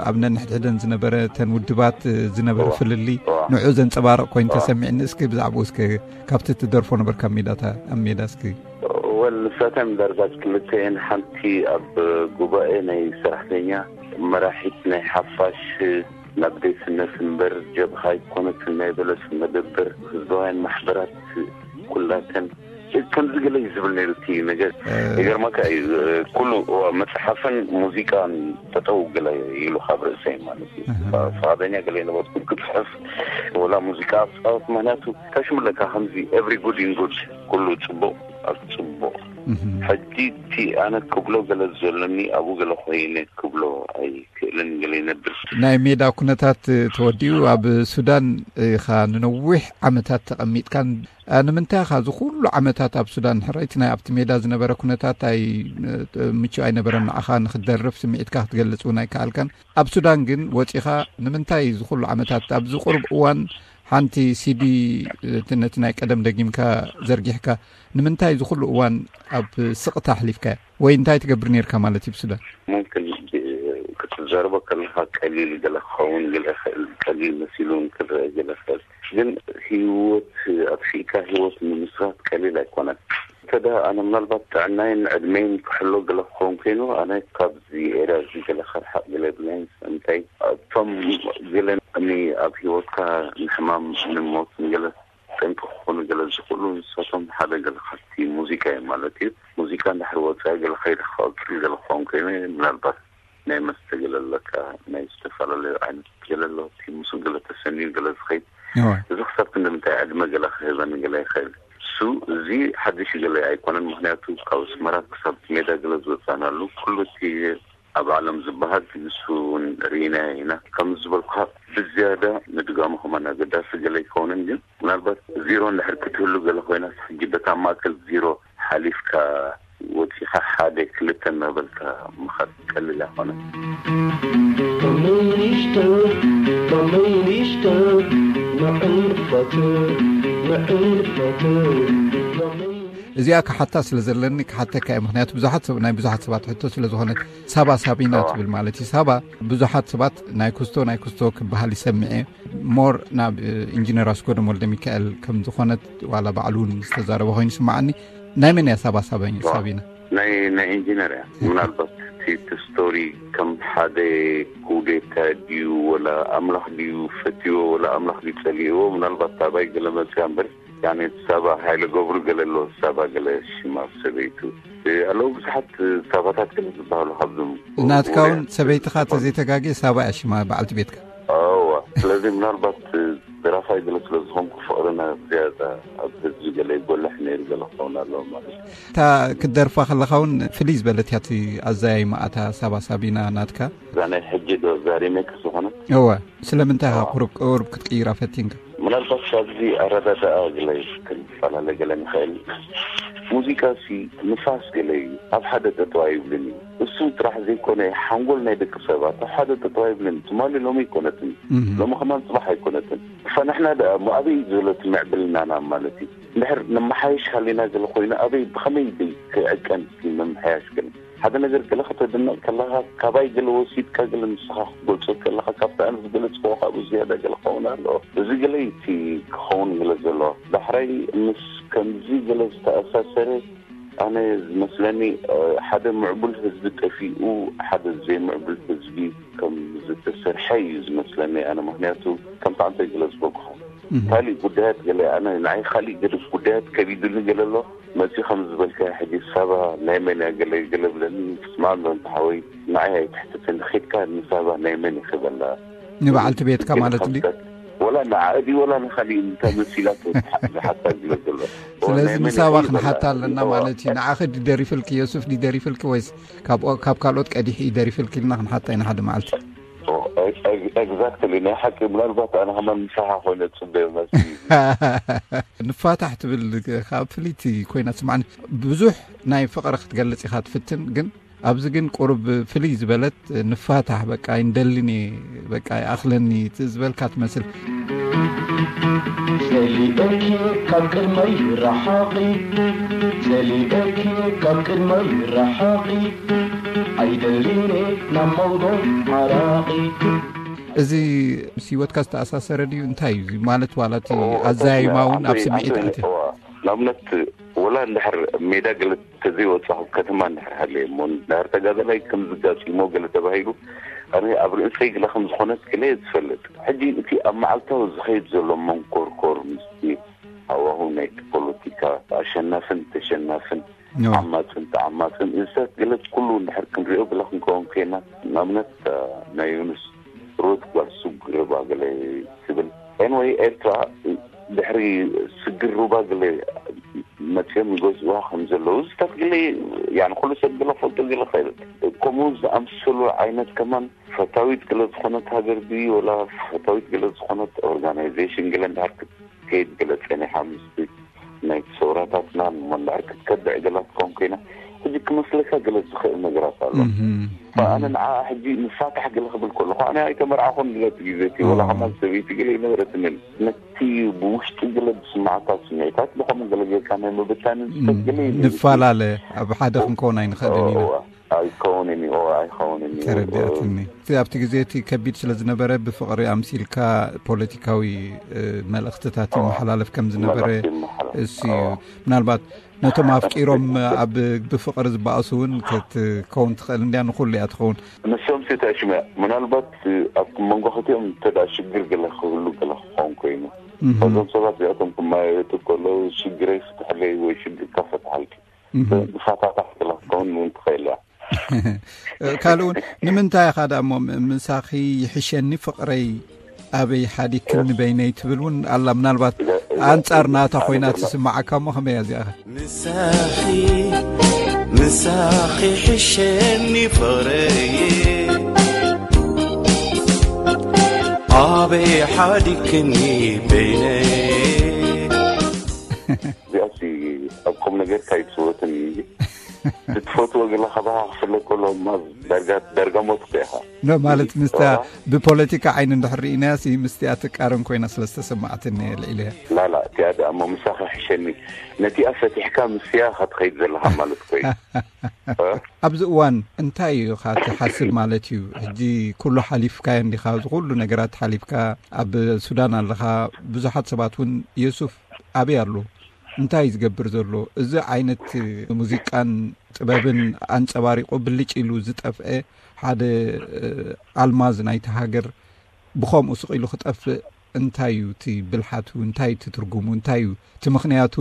ኣብ ነንሕድሕደን ዝነበረ፣ ተን ውድባት ዝነበረ ፍልሊ፣ ንዑ ዘንጸባርቕ ኮይኑ ተሰሚዕኒ። እስኪ ብዛዕባኡ እስከ ካብቲ ትደርፎ ነበርካ ኣብ ሜዳታ ኣብ ሜዳ እስኪ። ወል ንሳተን ዳርጋ ክልተ እየን። ሓንቲ ኣብ ጉባኤ ናይ ሰራሕተኛ፣ መራሒት ናይ ሓፋሽ፣ ናብ ዴስነት እምበር ጀብሃ ኣይኮነትን፣ ናይ በለስ መደብር፣ ህዝባውያን ማሕበራት ኩላተን ከምዚ ገለ እዩ ዝብል ነይሩ እቲ ነገር። ይገርመካ እዩ፣ ኩሉ መፅሓፍን ሙዚቃን ጠጠው ገለ ኢሉ ካብ ርእሰይ ማለት እዩ። ፈቃደኛ ገለ የነበርኩ ክፅሕፍ ወላ ሙዚቃ ክፃወት፣ ምክንያቱ ታሽምለካ ከምዚ every good in good፣ ኩሉ ፅቡቅ ኣብ ፅቡቅ። ሕጂ እቲ ኣነ ክብሎ ገለ ዘሎኒ ኣብኡ ገለ ኮይነ ክብሎ ኣይክእልን፣ ገለ ይነብር። ናይ ሜዳ ኩነታት ተወዲኡ ኣብ ሱዳን ኢኻ ንነዊሕ ዓመታት ተቐሚጥካን፣ ንምንታይ ኢኻ እዚ ኩሉ ዓመታት ኣብ ሱዳን? ሕራይቲ ናይ ኣብቲ ሜዳ ዝነበረ ኩነታት ኣይ ምቹእ ኣይነበረን፣ ንዓኻ ንኽትደርፍ ስምዒትካ ክትገልጽ እውን ኣይከኣልካን። ኣብ ሱዳን ግን ወጺኻ ንምንታይ እዚ ኩሉ ዓመታት ኣብዚ ቁሩብ እዋን ሓንቲ ሲዲ ነቲ ናይ ቀደም ደጊምካ ዘርጊሕካ? ንምንታይ እዚ ኩሉ እዋን ኣብ ስቕታ ኣሕሊፍካዮ? ወይ እንታይ ትገብር ነይርካ ማለት እዩ ብሱዳን? ሙምክን ክትዛረቦ ከለኻ ቀሊል ገለ ክኸውን ገለ ይኽእል፣ ቀሊል መሲሉ እውን ክረአ ገለ ይኽእል። ግን ህይወት ኣጥፊእካ ህይወት ምምስራት ቀሊል ኣይኮነን። እንተ ደኣ ኣነ ምናልባት ጥዕናይን ዕድመይን ክሕሎ ገለ ክኸውን ኮይኑ፣ ኣነ ካብዚ ኤርያ እዚ ገለ ከርሓቕ ገለ የብለይን። እንታይ እቶም ገለ ኒ ኣብ ህይወትካ ንሕማም ንሞት ንገለ ጠንቂ ክኾኑ ገለ ዝኽእሉ ንሳቶም ሓደ ገለ ካብቲ ሙዚቃ እዮም ማለት እዩ። ሙዚቃ እንድሕር ወፃኢ ገለ ከይደ ክቐፅል ገለ ክኸውን ኮይኑ ምናልባት ናይ መስተ ገለ ኣለካ፣ ናይ ዝተፈላለዩ ዓይነት ገለ ኣሎ፣ እቲ ምስኡ ገለ ተሰንዩ ገለ ዝኸይድ። እዚ ክሳብ ክንዲ ምንታይ ዕድመ ገለ ክህበኒ ገለ ይኽእል። እሱ እዚ ሓድሽ ገለ ኣይኮነን፣ ምኽንያቱ ካብ ኣስመራ ክሳብ ሜዳ ገለ ዝወፃእናሉ ኩሉ እቲ ኣብ ዓለም ዝበሃል ንሱ እውን ርኢና ኢና። ከም ዝበልኩኻ ብዝያዳ ምድጋሙ ከማን ኣገዳሲ ገለ ኣይከውንን፣ ግን ምናልባት ዜሮ እንድሕር ክትህሉ ገለ ኮይና ሕጂ በታ ማእከል ዜሮ ሓሊፍካ ወፂኻ ሓደ ክልተ እናበልካ ምኻድ ቀሊል ኣይኮነን። Communist, communist, ንዕንፈት፣ ንዕንፈት፣ communist። እዚኣ ክሓታ ስለ ዘለኒ ክሓተካ እየ። ምኽንያቱ ብዙሓት ሰብ፣ ናይ ብዙሓት ሰባት ሕቶ ስለ ዝኾነት፣ ሳባ ሳቢና ትብል ማለት እዩ። ሳባ ብዙሓት ሰባት ናይ ኩስቶ፣ ናይ ኩስቶ ክበሃል ይሰምዕ እየ። ሞር ናብ ኢንጂነር ኣስጎደም ወልደ ሚካኤል ከም ዝኾነት ዋላ ባዕሉ እውን ዝተዛረበ ኮይኑ ይስምዓኒ። ናይ መን እያ ሳባ ሳቢና? ናይ፣ ናይ ኢንጂነር እያ። ምናልባት እቲ፣ እቲ ስቶሪ ከም ሓደ ኩዴታ ድዩ ወላ ኣምላኽ ድዩ ፈትዎ ወላ ኣምላኽ ድዩ ጸሊእዎ፣ ምናልባት ታባይ ገለ መጽያ እምበር፣ ያኔ ሳባ ሃይለ ገብሩ ገለ ኣሎ፣ ሳባ ገለ ሽማ ሰበይቱ። እ፣ ኣለዉ ብዙሓት ሳባታት ገለ ዝበሃሉ ካብዞም ናትካ እውን ሰበይትኻ ተዘይተጋግየ ሳባ እያ ሽማ በዓልቲ ቤትካ። እዋ፣ ስለዚ ምናልባት ደራፋይ ገለ ስለ ዝኾንኩ ፍቕርና ዝያዳ ኣብ ህዝቢ ገለ ይጎልሕ ነይሩ ገለ ክኸውን ኣለዎ ማለት እዩ። እታ ክትደርፋ ከለኻ እውን ፍልይ ዝበለት እያ እቲ ኣዘያይማኣ እታ ሳባ ሳቢና ናትካ። እዛ ናይ ሕጂ ዶ እዛ ሪሜክስ ዝኾነት? እወ፣ ስለምንታይ ኢኻ ቁሩብ ቁሩብ ክትቅይራ ፈቲንካ? ምናልባት ካብዚ ኣረዳድኣ ገለ ክንፈላለ ገለ ንኽእል። ሙዚቃ ሲ ንፋስ ገለ እዩ፣ ኣብ ሓደ ጠጠው ኣይብልን እዩ። እሱ ጥራሕ ዘይኮነ ሓንጎል ናይ ደቂ ሰባት ኣብ ሓደ ጠጠው ኣይብልን። ትማሊ ሎሚ ኣይኮነትን፣ ሎሚ ከማን ጽባሕ ኣይኮነትን። ፈንሕና ደኣ እሞ ኣበይ እዩ ዘሎ እቲ ምዕብልናና ማለት እዩ? እንድሕር ነመሓየሽ ሃሊና ገለ ኮይኑ ኣበይ ብኸመይ ደይ ክዕቀን እቲ ምምሕያሽ ገለ? ሓደ ነገር ገለ ከተድንቕ ከለኻ ካባይ ገለ ወሲድካ ገለ ንስኻ ክትገልጾ ከለኻ ካብቲ ኣነ ዝገለጽክዎ ካብኡ ዝያዳ ገለ ክኸውን ኣለዎ። እዚ ገለ እዩ እቲ ክኸውን ገለ ዘለዎ። ዳሕራይ ምስ ከምዚ ገለ ዝተኣሳሰረ ኣነ ዝመስለኒ፣ እ፣ ሓደ ምዕቡል ህዝቢ ጠፊኡ ሓደ ዘይምዕቡል ህዝቢ ከም ዝተሰርሐ እዩ ዝመስለኒ ኣነ። ምኽንያቱ ከምቲ ኣንተ ዝገለጽኩኻ ካልእ ጉዳያት ገለ ኣነ ንዓይ ካልእ ገለ ጉዳያት ከቢዱኒ ገለ ኣሎ። መጺኡ ከም ዝበልካ ሕጂ ሳባ ናይ መን እያ ገለ ገለ ብለኒ። ስማዕ ኣሎ እንተ ሓወይ ንዓይ ኣይትሕተተኒ፣ ኸድካ ንሳባ ናይ መን እዩ ክበላ ንበዓልቲ ቤትካ ማለት እንዲ? ወላ ንዓኣ ድዩ ወላ ንኻሊእ እንታይ መሲላቶ ዝሓታ ዝብለ ዘሎ። ስለዚ ናይ መን ንሳባ እዩ ክንሓታ ኣለና ማለት እዩ። ንዓኺ ድደሪፍልኪ፣ ዮሱፍ ድደሪፍልኪ ወይስ ካብ፣ ካብ ካልኦት ቀዲሑ እዩ ደሪፍልኪ ኢልና ክንሓታ ኢና ሓደ መዓልቲ። ኦ፣ ኤግዛክትሊ፣ ናይ ሓቂ። ምናልባት ኣነ ከማን ምሳኻ ኮይነ ጽበዮ መስሊ። ንፋታሕ ትብል ካብ ፍልይቲ ኮይና ትስማዕኒ። ብዙሕ ናይ ፍቕሪ ክትገልጽ ኢኻ ትፍትን፣ ግን ኣብዚ ግን ቁሩብ ፍልይ ዝበለት፣ ንፋታሕ፣ በቃ ኣይንደልን እየ፣ በቃ ይኣኽለኒ ዝበልካ ትመስል። ጸሊኤኪ ካብ ቅድመይ ርሓቒ፣ ጸሊኤኪ ካብ ቅድመይ ርሓቒ፣ ኣይደልን እየ ናብ መውዶ ዓራቒ። እዚ ምስ ህይወትካ ዝተኣሳሰረ ድዩ? እንታይ እዩ ማለት? ዋላ እቲ ኣዘያይማ እውን ኣብ ስምዒት ኣትዩ። ንኣብነት፣ ወላ እንድሕር ሜዳ ገለ ተዘይወፃኹ፣ ከተማ እንድሕር ሃለየ እሞ፣ እንድሕር ተጋዳላይ ከም ዝጋፂሞ ገለ ተባሂሉ፣ ኣነ ኣብ ርእሰይ ግለ ከም ዝኾነት ግለ እየ ዝፈልጥ። ሕጂ እቲ ኣብ መዓልታዊ ዝኸይድ ዘሎ መንኮርኮር ምስቲ ሃዋሁ ናይቲ ፖለቲካ፣ ኣሸናፍን ተሸናፍን፣ ዓማፅን ተዓማፅን፣ እዚታት ገለ ኩሉ እንድሕር ክንሪኦ ግለ ክንከውን ኮይና፣ ንኣብነት ናይ ዩኑስ ሩት ጓል ስጉር ሩባ ገለ ትብል። ኤንወይ፣ ኤርትራ ድሕሪ ስግር ሩባ ገለ መፅኦም ይገዝኡዋ ከም ዘለዉ እዚታት ገለ፣ ያኒ ኩሉ ሰብ ገለ ፈልጦ ገለ ኸእል። ከምኡ ዝኣምሰሉ ዓይነት ከማን ፈታዊት ገለ ዝኾነት ሃገር ድዩ ወላ ፈታዊት ገለ ዝኾነት ኦርጋናይዜሽን ገለ እንድሕር ክትከይድ ገለ ፀኒሓ ምስቲ ናይ ሰውራታትና እሞ እንድሕር ክትከብዕ ገላ ትኸውን ኮይና፣ ሕጂ ክመስለካ ገለ ዝኽእል ነገራት ኣሎ። ኣነ ንዓ ሕጂ ንፋታሕ ገለ ክብል ከለኹ፣ ኣነ ኣይተመርዓኹን ገለ እቲ ግዜ እቲ፣ ወላ ከማን ሰበይቲ ገለ ይነበረትንን። ነቲ ብውሽጢ ገለ ዝስማዓካ ስምዒታት ብኸምኡ ገለ ጌርካ ናይ ምብታን ዝፈት ገለ እዩ። ንፈላለ፣ ኣብ ሓደ ክንከውን ኣይንኽእልን ኢና። እዋ፣ ኣይከውንን እዩ፣ እዋ፣ ኣይኸውንን እዩ። ተረዲኣትኒ። እቲ ኣብቲ ግዜ እቲ ከቢድ ስለ ዝነበረ ብፍቕሪ ኣምሲልካ ፖለቲካዊ፣ እ፣ መልእኽትታት ይመሓላለፍ ከም ዝነበረ መልእኽቲ ይመሓላለፍ። እሱ እዩ። እዋ። ምናልባት ነቶም ኣፍቂሮም ኣብ ብፍቕሪ ዝበኣሱ እውን ክትከውን ትኽእል እንድያ፣ ንኹሉ እያ ትኸውን። ንሶም ሲ ተሽመ ምናልባት ኣብ መንጎ ክልቲኦም እንተ ደኣ ሽግር ገለ ክህሉ ገለ ክኸውን ኮይኑ፣ እዞም ሰባት እዚኣቶም ክመያየጡ ከለዉ ሽግረይ ፍትሕለይ ወይ ሽግርካ ፈትሓልኪ፣ ብፋታታት ገለ ክትከውን እውን ትኽእል እያ። ካልእ እውን ንምንታይ ኢኻ ደኣ እሞ ም-፣ ምሳኺ ይሕሸኒ ፍቕረይ ኣበይ ሓዲግክኒ በይነይ ትብል እውን ኣላ። ምናልባት ኣንጻር ናታ ኮይና ትስምዓካ እሞ ከመይ እያ እዚኣ? ምሳኺ፣ ምሳኺ ሕሸኒ ፍቕረይ፣ ኣበይ ሓዲግክኒ በይነይ። እዚኣሲ ኣብ ቁም ነገር ካይትስወትን እዩ። ትፈትዎ ገለ ካባኻ ክፍለጥ ከሎ፣ እማ ዳርጋ፣ ዳርጋ ሞት እኮ ኢኻ። ኖ፣ ማለት ምስታ እዋ። ብፖለቲካ ዓይኒ እንድሕር ርኢናያ ሲ፣ ምስቲኣ ትቃረን ኮይና ስለ ዝተሰማዓትኒ እየ ልዒለያ። ላላ፣ እቲኣ ደኣ እሞ ምሳኻ ሕሸኒ። ነቲኣ ፈቲሕካ ምስያ ኢኻ ትኸይድ ዘለኻ ማለት እኮ እዩ። እ? ኣብዚ እዋን እንታይ እዩ ኢኻ ትሓስብ ማለት እዩ? ሕጂ ኩሉ ሓሊፍካዮ እንዲኻ፣ እዚ ኩሉ ነገራት ሓሊፍካ ኣብ ሱዳን ኣለኻ። ብዙሓት ሰባት እውን የሱፍ ኣበይ ኣሎ? እንታይ እዩ ዝገብር ዘሎ? እዚ ዓይነት ሙዚቃን ጥበብን ኣንጸባሪቑ ብልጭ ኢሉ ዝጠፍአ ሓደ፣ እ፣ ኣልማዝ ናይቲ ሃገር ብኸምኡ ስቕ ኢሉ ክጠፍእ እንታይ እዩ እቲ ብልሓቱ? እንታይ እዩ እቲ ትርጉሙ? እንታይ እዩ እቲ ምኽንያቱ?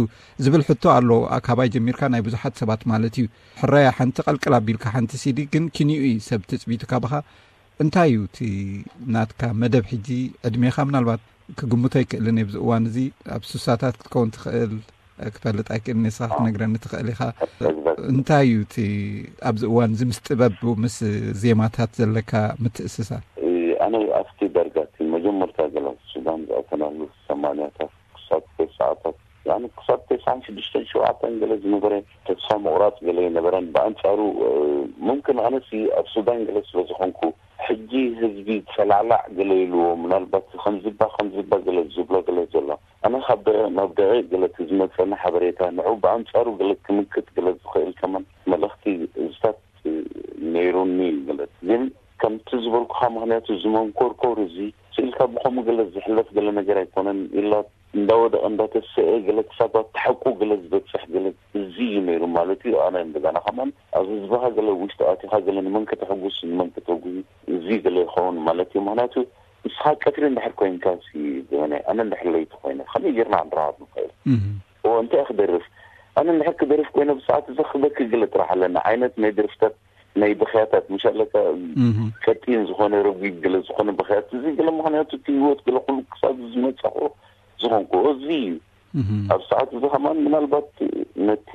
ዝብል ሕቶ ኣሎ። ኣ-፣ ካባይ ጀሚርካ ናይ ብዙሓት ሰባት ማለት እዩ። ሕራያ ሓንቲ ቀልቅል ኣቢልካ ሓንቲ ሲዲ ግን ክንዩ እዩ ሰብ ትጽቢቱ ካባኻ። እንታይ እዩ እቲ ናትካ መደብ ሕጂ? ዕድሜኻ ምናልባት ክግምቶ ኣይክእልን እየ። ኣብዚ እዋን እዚ ኣብ ሱሳታት ክትከውን ትኽእል፣ ክፈልጥ ኣይክእልን እየ። ንስኻ ክትነግረኒ ትኽእል ኢኻ። እንታይ እዩ እቲ ኣብዚ እዋን እዚ ምስ ጥበብ፣ ምስ ዜማታት ዘለካ ምትእስሳር? እ፣ ኣነ ኣብቲ ዳርጋ እቲ መጀመርታ ገለ ሱዳን ዝኣተናሉ ሰማንያታት ክሳብ ተስዓታት፣ ያኒ ክሳብ ተስዓን ሽዱሽተን ሸውዓተን ገለ ዝነበረ ተስፋ ምቑራጽ ገለ ኣይነበረን። ብኣንጻሩ፣ እ፣ ሙምክን ኣነሲ ኣብ ሱዳን ገለ ስለ ዝኾንኩ፣ ሕጂ ህዝቢ ጸላዕላዕ ገለ ኢልዎ፣ ምናልባት ከምዝባ ከምዝባ ገለ ዝብሎ ገለ ዘሎ፣ ኣነ ካብ ደቂቕ ናብ ደቂቕ ገለ እቲ ዝመጸኒ ሓበሬታ፣ ንዑ ብኣንጻሩ ገለ ክምክት ገለ ዝኽእል ከማን መልእኽቲ እዝታት ነይሩኒ ገለ። ግን ከምቲ ዝበልኩኻ፣ ምኽንያቱ እዚ መንኮርኮር እዚ ስኢልካ ብኸምኡ ገለ ዝሕለፍ ገለ ነገር ኣይኮነን። ኢላ እንዳወደቐ እንዳተሰአ ገለ ክሳብ ኣብቲ ሓቁ ገለ ዝበጽሕ ገለ እዚ እዩ ነይሩ ማለት እዩ። ኣነ እንደገና ከማን ኣብ ህዝብኻ ገለ ውሽጢ ኣቲኻ ገለ ንመን ከተሐጉስ ንመን ከተጉሂ እዚ ገለ ይኸውን ማለት እዩ። ምኽንያቱ ንስኻ ቀትሪ እንድሕር ኮይንካ ሲ፣ ዘመናይ፣ ኣነ እንድሕር ለይቲ ኮይነ ከመይ ጌርና ክንረኻብ ንኽእል? እም። እዎ፣ እንታይ ክደርፍ? ኣነ እንድሕር ክደርፍ ኮይነ ብሰዓት እዚ ክበኪ ገለ ጥራሕ ኣለና ዓይነት ናይ ደርፍታት ናይ ብኽያታት፣ ምሽ ኣለካ፣ እም። ቀጢን ዝኾነ ረጒድ ገለ ዝኾነ ብኽያት፣ እዚ ገለ ምኽንያቱ እቲ ህይወት ገለ ኩሉ ክሳብ ዝመጻኹ ዝኾንኩ እዚ እዩ። እም። ኣብ ሰዓት እዚ ከማን ምናልባት ነቲ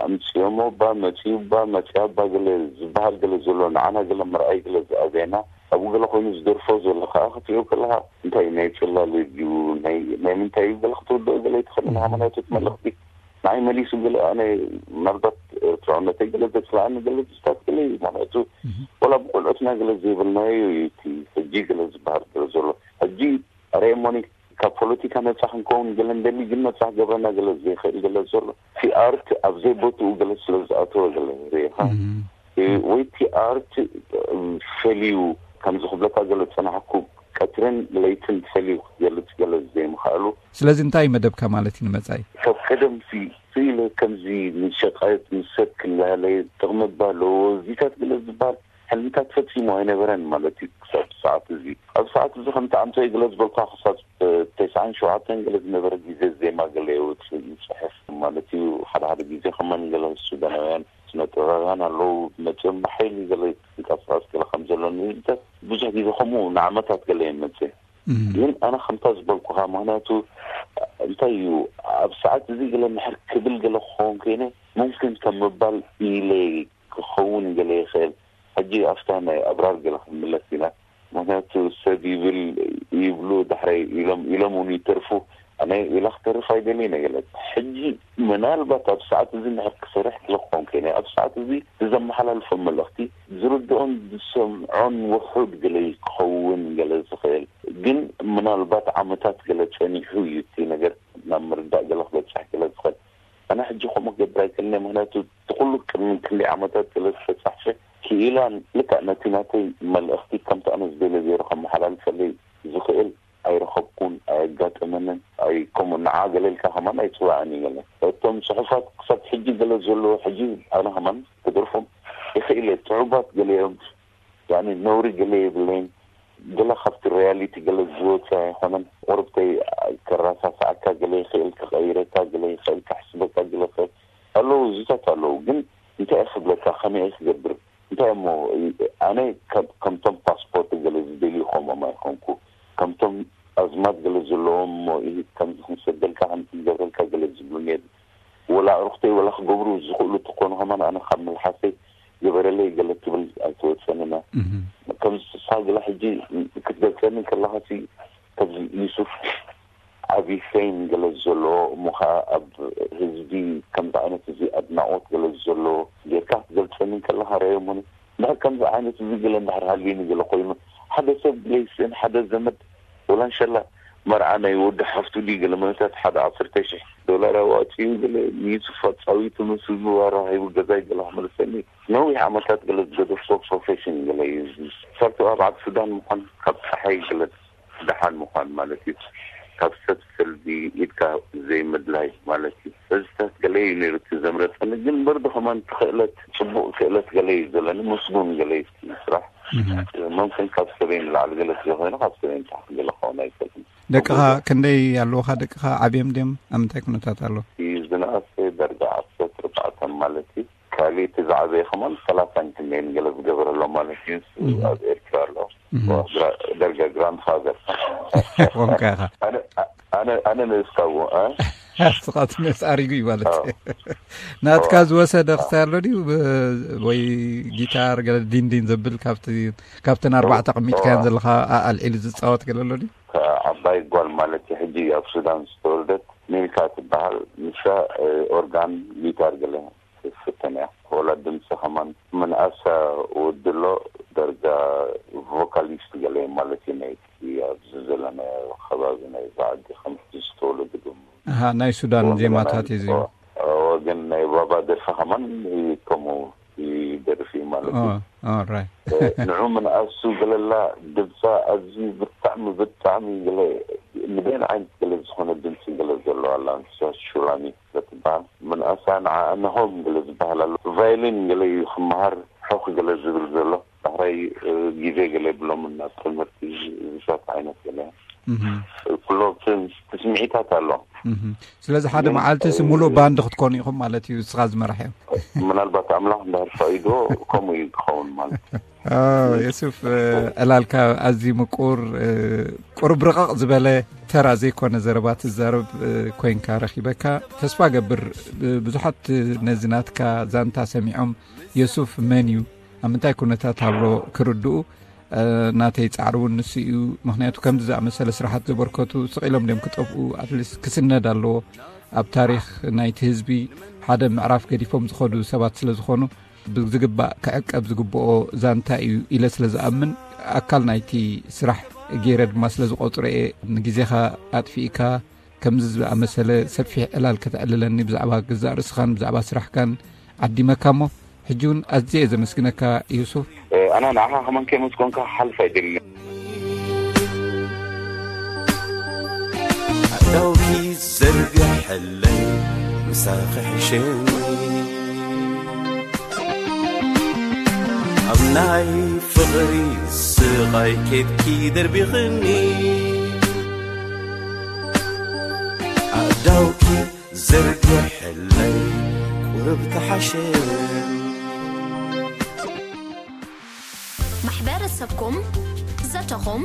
ኣምጺኦሞ እባ፣ መጺኡ እባ፣ መጺኣ እባ ገለ ዝበሃል ገለ ዘሎ ንዓና ገለ መርኣይ ገለ ዝኣበየና ኣብኡ ገለ ኮይኑ ዝደርፎ ዘሎ ከዓ ክትሪኦ ከለካ እንታይ ናይ ጽላለ ድዩ ናይ ናይ ምንታይ እዩ ገለ ክትውድኦ ገለ ኣይትኽእልን። ሃይማኖቶት መልእኽቲ ንዓይ መሊሱ ገለ ኣነ ምናልባት ኤርትራውነተይ ገለ ዘጥፍኣኒ ገለ ዝታት ገለ እዩ። ምክንያቱ ወላ ብቆልዑትና ገለ ዘይብልናዮ እዩ እቲ ሕጂ ገለ ዝበሃል ገለ ዘሎ። ሕጂ ኣረ ሞኒ ካብ ፖለቲካ ነጻ ክንከውን ገለ እንደሊ ግን ነጻ ክገብረና ገለ ዘይኽእል ገለ ዘሎ እቲ ኣርት ኣብ ዘይቦትኡ ገለ ስለ ዝኣተወ ገለ ርኢኻ ወይ እቲ ኣርት ፈልዩ ከምዚ ክብለካ ገለ ዝጸናሕኩ ቀትርን ለይትን ፈልዩ ክትገልጽ ገለ ዘይምኽኣሉ። ስለዚ እንታይ እዩ መደብካ ማለት እዩ ንመጻኢ? ካብ ቀደም ሲ ስኢለ ከምዚ ንሸቃየት ምስ ሰብ ክላለ ጥቕሚ እባ ኣለዎ እዚታት ገለ ዝበሃል ሕልምታት ፈጺሙ ኣይነበረን ማለት እዩ። ክሳብ ሰዓት እዚ ኣብ ሰዓት እዚ ከምቲ ኣምሳይ ገለ ዝበልካ ክሳብ ተስዓን ሸውዓተን ገለ ዝነበረ ግዜ ዜማ ገለ የውፅእ ይፅሕፍ ማለት እዩ። ሓደ ሓደ ግዜ ከማን ገለ ሱዳናውያን ስነ ጥበባውያን ኣለዉ መፅኦም ብሓይሊ ገለ ይንቀሳቀስ ገለ ከም ዘሎ ንህዝብታት ብዙሕ ግዜ ከምኡ ንዓመታት ገለ የመፅእ። ግን ኣነ ከምታ ዝበልኩኻ ምክንያቱ እንታይ እዩ ኣብ ሰዓት እዚ ገለ ምሕር ክብል ገለ ክኸውን ኮይነ ሙምክን ከም ምባል ኢለ ክኸውን ገለ ይኽእል። ሕጂ ኣብታ ናይ ኣብራር ገለ ክንምለስ ኢና። ምክንያቱ ሰብ ይብል ይብሉ ዳሕራይ ኢሎም ኢሎም እውን ይተርፉ። ኣነ ኢላ ክተርፍ ኣይደልየ ነገለት ሕጂ ምናልባት ኣብ ሰዓት እዚ ንሕር ክሰርሕ ክለኮን ከይነ ኣብ ሰዓት እዚ ብዘመሓላልፎ መልእኽቲ ዝርድኦን ዝሰምዖን ውሑድ ገለ ክኸውን ገለ ዝኽእል ግን ምናልባት ዓመታት ገለ ጸኒሑ እዩ እቲ ነገር ናብ ምርዳእ ገለ ክበፅሕ ገለ ዝኽእል። ኣነ ሕጂ ከምኡ ክገብር ኣይክእልን እየ። ምክንያቱ እቲ ኩሉ ቅድሚ ክንደይ ዓመታት ስለ ዝተፃሕፈ ክኢላን ልክዕ ነቲ ናተይ መልእኽቲ ከምቲ ኣነ ዝደልዮ ገይሩ ከመሓላልፈለይ ዝኽእል ኣይረኸብኩን፣ ኣየጋጠመንን። ኣይ ከምኡ ንዓ ገለ ኢልካ ከማን ኣይፅዋዕን እዩ ገለ እቶም ፅሑፋት ክሳብ ሕጂ ገለ ዘለዎ ሕጂ ኣነ ከማን ክደርፎም ይኽእል እየ። ፅዑባት ገለ እዮም ያኒ ነውሪ ገለ የብለይን። ገለ ካብቲ ሪያሊቲ ገለ ዝወፀ ኣይኮነን። ቁርብተይ ከራሳስዓካ ገለ ይኽእል፣ ክቐይረካ ገለ ይኽእል፣ ከሕስበካ ገለ ይኽእል ኣለዉ፣ እዚታት ኣለዉ። ግን እንታይ እየ ክብለካ፣ ከመይ እየ ክገብር? እንታይ እሞ ኣነ ከም- ከምቶም ፓስፖርት ገለ ዝደልዩ ከምኦም ኣይኮንኩ። ከምቶም ኣዝማድ ገለ ዘለዎም እሞ ኢሂድ ከምዚ ክንሰደልካ ከምዚ ክንገብረልካ ገለ ዝብሉኒ የለን። ወላ ኣዕሩኽተይ ወላ ክገብሩ ዝኽእሉ እንተኾኑ ከማን ኣነ ካብ መልሓሰይ ግበረለይ ገለ ትብል ኣይትወፀንና። ከምዚ ንስኻ ገለ ሕጂ ክትገልፀኒ ከለኻሲ ከምዚ ዩሱፍ ዓቢ ፌም ገለ ዘሎ እሞ ከዓ ኣብ ህዝቢ ከምዚ ዓይነት እዚ ኣድናቖት ገለ ዘሎ ጌርካ ክትገልፀኒ ከለኻ ረኣዮሞኒ። እንድሕር ከምዚ ዓይነት እዚ ገለ እንድሕር ሃልዩኒ ገለ ኮይኑ ሓደ ሰብ ገለ ይስእን ሓደ ዘመድ ወላ እንሸላ መርዓ ናይ ወዲ ሓፍቱ ድዩ ገለ መነታት ሓደ ዓሰርተ ሽሕ ዶላር ኣዋፂኡ ገለ ንዩሱፍ ኣፃዊቱ ምስ ህዝቡ ኣራኺቡ ገዛይ ገለ ክመልሰኒ ነዊሕ ዓመታት ገለ ዝገደፍኮ ፕሮፌሽን ገለ እዩ። ሰርቶ ኣብ ዓዲ ሱዳን ምዃን ካብ ፀሓይ ገለ ደሓን ምዃን ማለት እዩ። ካብ ሰብ ሰልቢ ኢድካ ዘይምድላይ ማለት እዩ። እዚታት ገለ እዩ ነይሩ እቲ ዘምረፀኒ ግን በርዶ ከማን ክእለት ፅቡቅ ክእለት ገለ እዩ ዘለኒ ምስጉን ገለ እዩ እቲ ስራሕ። መምክን ካብ ሰበይ ንላዕሊ ገለ ስለ ኮይኑ ካብ ሰበይ ንታሕቲ ገለ ክኸውን ኣይክእልን። ደቅኻ ክንደይ ኣለውኻ? ደቅኻ ዓብዮም ድዮም? ኣብ ምንታይ ኩነታት ኣሎ? እቲ ዝነኣሰ ደረጃ ዓሰርተ ኣርባዕተ ማለት እዩ። ካሊእ እቲ ዝዓበየ ከማን ሰላሳን ክንደይን ገለ ዝገበረሎ ማለት እዩ። ንሱ ኣብ ኤርትራ ኣሎ። ደርጋ ግራንድ ፋዘር ኮንካ ኢኻ። ኣነ ኣነ ንእስካዎ ስኻት ነስ ኣሪጉ እዩ ማለት ናትካ ዝወሰደ ክሳይ ኣሎ ድዩ? ወይ ጊታር ገለ ዲንዲን ዘብል ካብቲ ካብተን ኣርባዕተ ቀሚጥካያን ዘለኻ ኣልዒሉ ዝፃወት ገለ ኣሎ ድዩ? ዓባይ ጓል ማለት እዩ። ሕጂ ኣብ ሱዳን ዝተወልደት ሚልካ ትበሃል። ንሳ ኦርጋን ጊታር ገለ ትፍትን እያ። ወላ ድምፂ ከማን ምንኣሳ ወድሎ ደርጋ ቮካሊስት ገለ ማለት እዩ። ናይ ኣብዚ ዘለናዮ ከባቢ ናይ ዛዓዲ ከምቲ ዝተወለዱ ድም ኣሃ ናይ ሱዳን ዜማታት እዩ። ወገን ናይ ባባ ደርፊ ከማን ከምኡ ይደርፍ እዩ ማለት እዩ። ኦራይት ንዑ ምንኣሱ ገለላ ድምፃ ኣዝዩ ብጣዕሚ ብጣዕሚ ገለ ንበይን ዓይነት ገለ ዝኾነ ድምፂ ገለ ዘለዋ ኣላ ንሳ ሹላሚ ትበሃል። ምንኣሳ ንዓ እንሆም ገለ ዝበሃል ኣሎ። ቫይሊን ገለ እዩ ክመሃር ሑኽ ገለ ዝብል ዘሎ። ዳሕራይ ግዜ ገለ የብሎምን ናብ ትምህርቲ ዝሳት ዓይነት ገለ ኩሎ ትስምዒታት ኣሎ። ስለዚ ሓደ መዓልቲ ሲ ሙሉእ ባንድ ክትኮኑ ኢኹም ማለት እዩ። ንስኻ ዝመራሕዮም ምናልባት ኣምላኽ እንዳር ፈቒዶ ከምኡ እዩ ክኸውን ማለት እዩ። የሱፍ ዕላልካ ኣዝዩ ምቁር ቁሩብ ርቕቕ ዝበለ ተራ ዘይኮነ ዘረባ ትዛረብ ኮይንካ ረኺበካ። ተስፋ ገብር ብዙሓት ነዚ ናትካ ዛንታ ሰሚዖም የሱፍ መን እዩ ኣብ ምንታይ ኩነታት ኣሎ ክርድኡ ናተይ ጻዕሪ እውን ንሱ እዩ። ምኽንያቱ ከምዚ ዝኣመሰለ ስራሓት ዘበርከቱ ስቕ ኢሎም ድዮም ክጠፍኡ? ኣትሊስት ክስነድ ኣለዎ። ኣብ ታሪኽ ናይቲ ህዝቢ ሓደ ምዕራፍ ገዲፎም ዝኸዱ ሰባት ስለ ዝኾኑ፣ ብዝግባእ ክዕቀብ ዝግብኦ ዛንታ እዩ ኢለ ስለ ዝኣምን፣ ኣካል ናይቲ ስራሕ ገይረ ድማ ስለ ዝቆጽሮ እየ። ንግዜኻ ኣጥፊእካ ከምዚ ዝኣመሰለ ሰፊሕ ዕላል ከተዕልለኒ ብዛዕባ ገዛእ ርእስኻን ብዛዕባ ስራሕካን ዓዲመካ እሞ፣ ሕጂ እውን ኣዝየ እየ ዘመስግነካ ዩሱፍ። ኣና ንዓኻ ከማን ከመስገንካ ሓልፍ ኣይደልን። ኣዳውኪ ዘርግሐለይ ምሳኺ ሕሸኒ፣ ኣብ ናይ ፍቕሪ ስቓይ ኬድኪ ደርቢኽኒ። ኣዳውኪ ዘርግሐለይ ቁርብ ተሓሸኒ። ማሕበረሰብኩም፣ ዘተኹም፣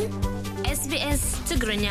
ኤስቢኤስ ትግርኛ።